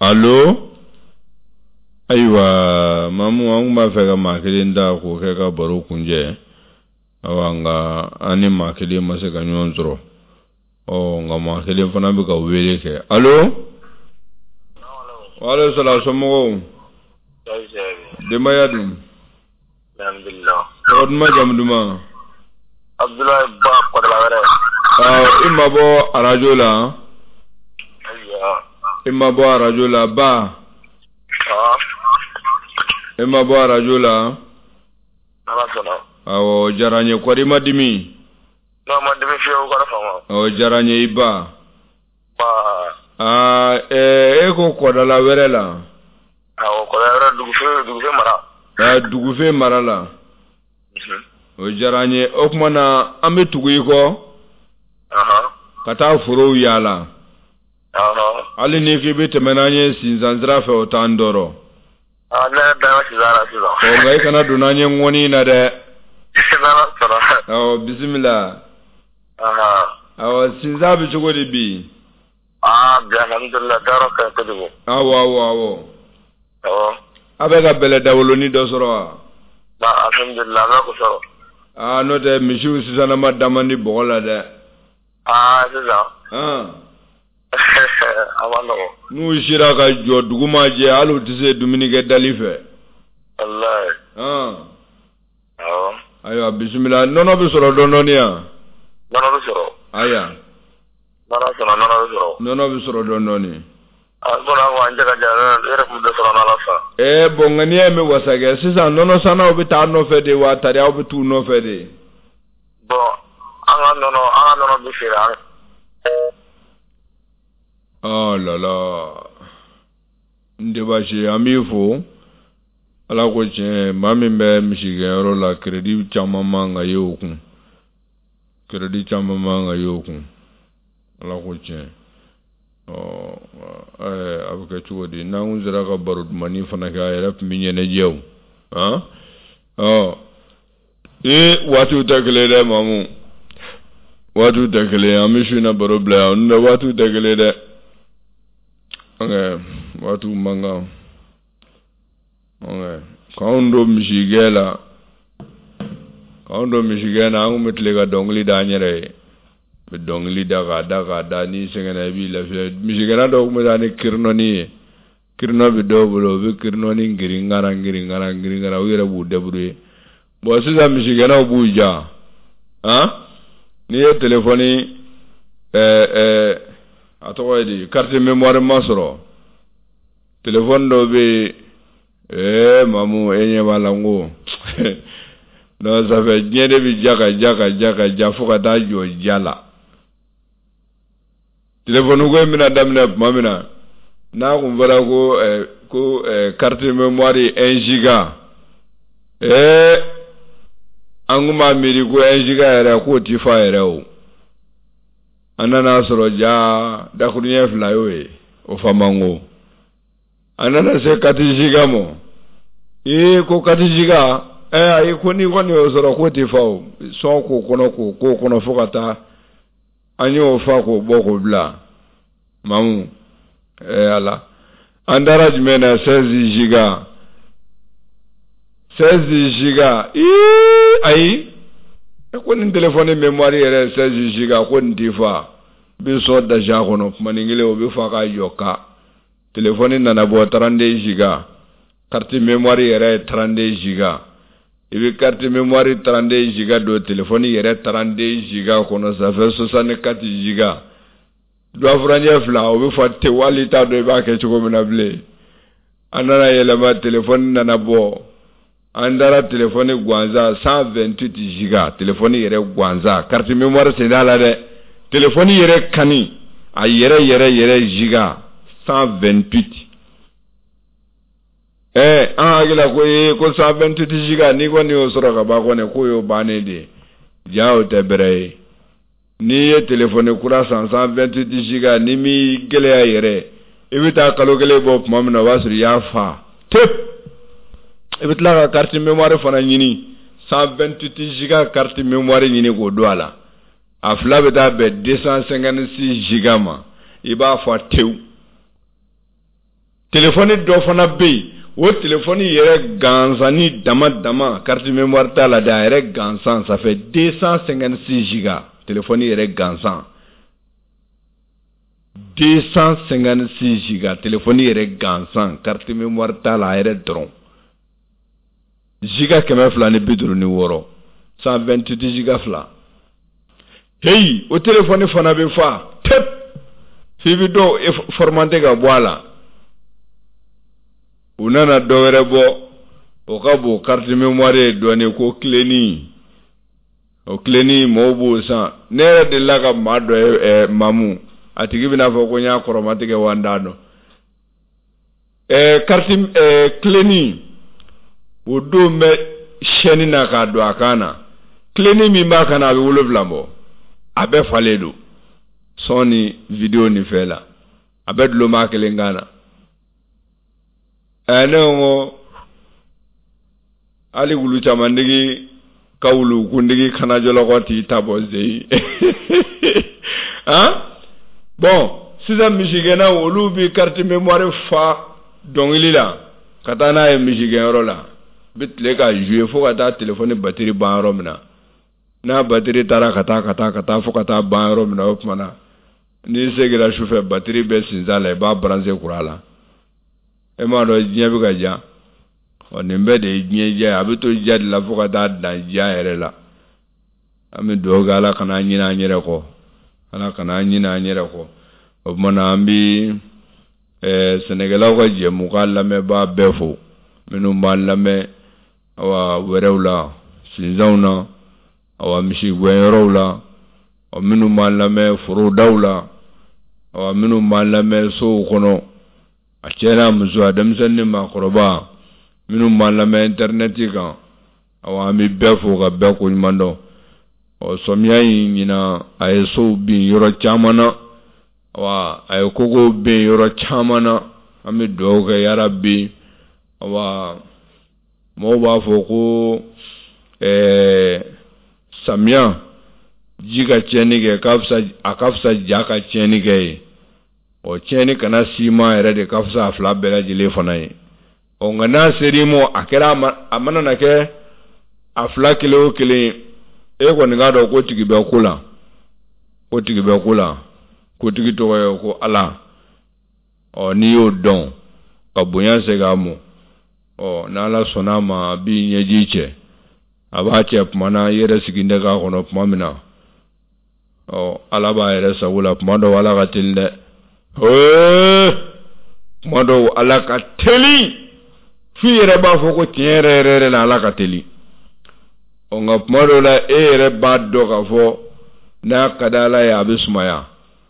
Allo? Ayiwa, Mamu, an kun b'a fɛ ka maa kelen ta k'o kɛ ka baro kunjɛ. Awa, nka an ni maa kelen ma se ka ɲɔgɔn sɔrɔ. Ɔ, nka maa kelen fana bɛ ka wele kɛ. Allo? Waaleykum salaam, somɔgɔw? Denbaya dun? Alhamdulillah. Tɔgɔ duman, jamu duman? Abdoulaye Ba, Kɔdala wɛrɛ. Awɔ, i mabɔ arajo la? Ayiwa. I mabɔ arajo la, Ba? I ma bɔ arajo la? Ala sɔnna. Awɔ, o diyara n ye. Kɔri, i ma dimi? Non, ma dimi fiyewu, kana fama. O diyara n ye, i ba. Ba. Aa, ɛɛ, e ko Kɔdala wɛrɛ la? Awɔ, Kɔdala wɛrɛ, Dugufe, Dugufe mara. Aa, Dugufe mara la. O diyara n ye. O tuma na, an bɛ tugu i kɔ. Ahan. Ka taa forow yaala. Ahan. Hali n'i k'i bɛ tɛmɛ n'an ye sinsan sira fɛ, o t'an tɔɔrɔ. Ah, ne yɛrɛ da sisan la sisan. Ɔ, nka i kana don n'an ye ŋɔni na dɛ. N'Ala sɔnna. Awɔ, bisimila. Ahan. Awɔ, sinsan bɛ cogo di bi? Ah, bi alhamdulillah, dayɔrɔ ka ɲi kojugu. Awɔ, awɔ, awɔ. Awɔ. A bɛ ka bɛlɛ dawolonin dɔ sɔrɔ wa? Ba, alhamdulillah, an bɛ k'o sɔrɔ. Aa, n'o tɛ misiw sisanama da man di bɔgɔ la dɛ. Ah, sisan. Han. A ma nɔgɔn. N'u sera ka jɔ dugu ma jɛ, hali u tɛ se dumunikɛ dali fɛ. Walayi. Han. Awɔ. Ayiwa, bisimila. Nɔnɔ bɛ sɔrɔ dɔɔnin dɔɔnin yan? Nɔnɔ bɛ sɔrɔ. Ayiwa. N'Ala sɔnna, nɔnɔ bɛ sɔrɔ. Nɔnɔ bɛ sɔrɔ dɔɔnin dɔɔnin. Ah, komi an ko an cɛ ka jan, ne yɛrɛ tun bɛ dɔ sɔrɔ n'Ala sɔnna. Ɛɛ, bon, nka n'i y'a mɛn wasakɛ, sisan nɔnɔ sannaw bɛ taa nɔfɛ de wa tari aw bɛ t'u nɔfɛ de? Bon, an ka nɔnɔ, an ka nɔnɔ bɛ feere an. Oh là là, n tɛ baasi ye, an b'i fo. Ala ko tiɲɛ, maa min bɛ misigɛnyɔrɔ la, crédit caman man ka ye o kun. Crédit caman man ka ye o kun. Ala ko tiɲɛ. Ɔ a bɛ kɛ cogo di n'an kun sera ka baro dumannin fana kɛ a yɛrɛ tun bɛ ɲɛnajɛ o han ɔ ee waatiw tɛ kelen dɛ Mamu waatiw tɛ kelen an bɛ su in na baro bila yan n'o tɛ waatiw tɛ kelen dɛ ok waatiw man kan ok k'anw don misigɛn la k'anw don misigɛn na an kun bɛ tile ka dɔnkili da an yɛrɛ ye bɛ dɔnkili da k'a da k'a da n'i sɛgɛnna i b'i lafiya misigɛnna dɔw tun bɛ taa ni kirinɔni ye kirinɔ bɛ dɔw bolo u bɛ kirinɔni girin-gara girin-gara girin-gara u yɛrɛ b'u débrouiller bon sisan misigɛnnaw b'u ja han n'i ye telefɔni ɛɛ ɛɛ a tɔgɔ ye di carte mémoire ma sɔrɔ telefɔni dɔw bɛ yen ee Mamu e ɲɛ b'a la n ko non ça fait diɲɛ de bɛ ja ka ja ka ja ka ja fo ka taa jɔ ja la telefɔni ko in bɛna daminɛ tuma min na n'a kun fɔra ko ɛɛ ko ɛɛ carte mémoire un giga ee an kun b'a miiri ko un giga yɛrɛ k'o ti fa yɛrɛ o an nana sɔrɔ ja dakuruɲɛ fila y'o ye o fa man go an nana se quatre giga ma ee ko quatre giga ɛ ayi ko n'i kɔni y'o sɔrɔ k'o ti fa o sɔn k'o kɔnɔ k'o k'o kɔnɔ fo ka taa an y'o fa k'o bɔ k'o bila Mamu ɛ ala an taara jumɛn na seize giga seize giga ii ayi ko nin telefɔni mémoire yɛrɛ seize giga ko nin ti fa bi sɔn dasi a kɔnɔ kumanin kelen o bɛ fa k'a jɔ ka telefɔni nana bɔ trente-deux giga carte mémoire yɛrɛ ye trente-deux giga i bɛ carte mémoire trente-deux giga don telefɔni yɛrɛ trente-deux giga kɔnɔ ça fait soixante-quatre giga dɔfuranjɛ fila o bɛ fa tewu hali i t'a dɔn i b'a kɛ cogo min na bilen an nana yɛlɛma telefɔni nana bɔ an taara telefɔni gansan cent vingt-huit giga telefɔni yɛrɛ gansan carte mémoire sen t'a la dɛ telefɔni yɛrɛ kani a yɛrɛ yɛrɛ yɛrɛ giga cent vingt-huit ɛɛ an hakili la ko ee ko cent vingt-huit giga n'i kɔni y'o sɔrɔ ka ban kɔni k'o y'o bannen de ye ja o tɛ bɛrɛ ye n'i ye telefɔni kura san cent vingt-huit giga n'i m'i gɛlɛya yɛrɛ i bɛ taa kalo kelen bɔ tuma min na o b'a sɔrɔ i y'a fa tep i bɛ tila ka carte mémoire fana ɲini cent vingt-huit giga carte mémoire ɲini k'o don a la a fila bɛ taa bɛn deux cent cinquante-six giga ma i b'a fa tewu telefɔni dɔ fana bɛ yen o telefɔni yɛrɛ gansanni dama dama carte mémoire t'a la dɛ a yɛrɛ gansan ça fait deux cent cinquante-six giga telefɔni yɛrɛ gansan deux cent cinquante-six giga telefɔni yɛrɛ gansan carte mémoire t'a la a yɛrɛ dɔrɔn giga kɛmɛ fila ni bi duuru ni wɔɔrɔ cent vingt-huit giga fila heyi o telefɔni fana bɛ fa tep f'i bɛ dɔw formater ka bɔ a la u nana dɔ wɛrɛ bɔ o ka bon carte mémoire ye dɔɔnin ko kilenin o kilenin mɔgɔw b'o san ne yɛrɛ delila ka maa dɔ ye ɛɛ Mamu a tigi bɛna fɔ ko n y'a kɔrɔmatigɛ wa n t'a dɔn ɛɛ carte ɛɛ kilenin o don bɛ chaîne na k'a don a kan na kilenin min b'a kan na a bɛ wolonwula bɔ a bɛɛ falen don son ni vidéo ni fɛn la a bɛɛ dulon b'a kelen kan na ɛɛ ne ko hali wulu camantigi ka wulu kuntigi kana jɔlɔkɔ t'i ta bɔ zeyi han bon sisan misigɛnnaw olu bɛ carte mémoire fa dɔnkili la ka taa n'a ye misigɛnyɔrɔ la bɛ tile ka jouer fo ka taa telefɔni batiri ban yɔrɔ min na n'a batiri taara ka taa ka taa ka taa fo ka taa ban yɔrɔ min na o tuma na n'i seginna sufɛ batiri bɛ sinsan la i b'a brancher courant la e m'a dɔn diɲɛ bɛ ka ja ɔ nin bɛɛ de ye diɲɛ diya ye a bɛ to diya de la fo ka taa dan diya yɛrɛ la an bɛ dugawu kɛ Ala kana an ɲinɛ an yɛrɛ kɔ Ala kana an ɲinɛ an yɛrɛ kɔ o tuma na an bɛ ɛɛ sɛnɛkɛlaw ka jɛmukan lamɛnbaa bɛɛ fo minnu b'an lamɛn awa wɛrɛw la sinsanw na awa misigɛnyɔrɔw la ɔ minnu b'an lamɛn forodaw la awa minnu b'an lamɛn sow kɔnɔ a cɛ n'a muso a denmisɛnnin ni maakɔrɔba minnu b'an lamɛn intɛrinɛti kan awa an bɛ bɛɛ fo ka bɛɛ koɲuman dɔn ɔ sɔmiya in ɲinan a ye sow bin yɔrɔ caman na. Awa, a ye kogow ben yɔrɔ caman na. An bɛ dugawu kɛ yarabi. Awa, mɔgɔw b'a fɔ ko ɛɛ samiya ji ka tiɲɛni kɛ ka fisa, a ka fisa ja ka tiɲɛni kɛ ye. Ɔ, tiɲɛni kana s'i ma yɛrɛ de ka fisa a fila bɛɛ lajɛlen fana ye. Ɔ, nka n'a ser'i ma, a kɛra a mana na kɛ a fila kelen o kelen, e kɔni k'a dɔn ko tigi bɛ ko la, ko tigi bɛ ko la, ko tigi tɔgɔ ye ko Ala. Ɔ, n'i y'o dɔn ka bonya segin a ma, ɔ, n'Ala sɔnna a ma, a b'i ɲɛji cɛ, a b'a cɛ tuma na i yɛrɛ sigilen tɛ k'a kɔnɔ tuma min na. Ɔ, Ala b'a yɛrɛ sago la. Tuma dɔw Ala ka teli dɛ, hee, tuma dɔw Ala ka teli f'i yɛrɛ b'a fɔ ko tiɲɛ yɛrɛ yɛrɛ yɛrɛ la Ala ka teli. Ɔ, nka tuma dɔw la e yɛrɛ b'a dɔn k'a fɔ n'a ka di Ala ye a bɛ sumaya,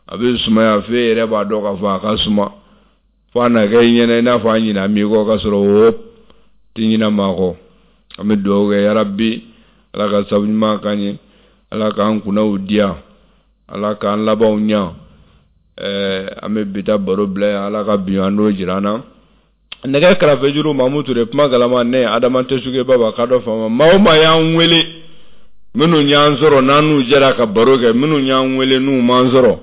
a bɛ sumaya f'e yɛrɛ b'a dɔn k'a fɔ a ka suma, fo a na kɛ i ɲɛna i n'a fɔ a ɲinɛ m'i kɔ, k'a sɔrɔ o tɛ ɲinɛ maa kɔ. An bɛ dugawu kɛ yarabi, Ala ka sabu ɲuman k'an ye, Ala k'an kunnaw diya, Ala k'an labanw ɲa. Ɛɛ an bɛ bi ta baro bila yan, Ala ka bi an n'o jira an na. Nɛgɛ kɛrɛfɛjuru Mamu Ture, kuma galama ne Adama Tɛsuge Baba ka dɔ faama. Maa o maa y'an wele, minnu y'an sɔrɔ n'an n'u jɛra ka baro kɛ, minnu y'an wele n'u m'an sɔrɔ,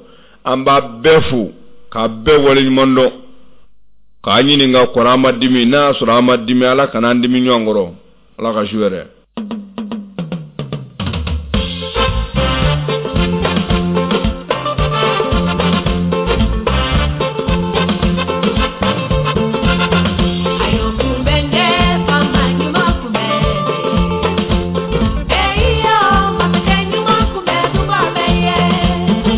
an b'a bɛɛ fo k'a bɛɛ waleɲuman dɔn, k'a ɲininka kɔrɔ an ma dimi, n'a y'a sɔrɔ an ma dimi, Ala kana an dimi ɲɔgɔn kɔrɔ. Ala ka su hɛrɛ.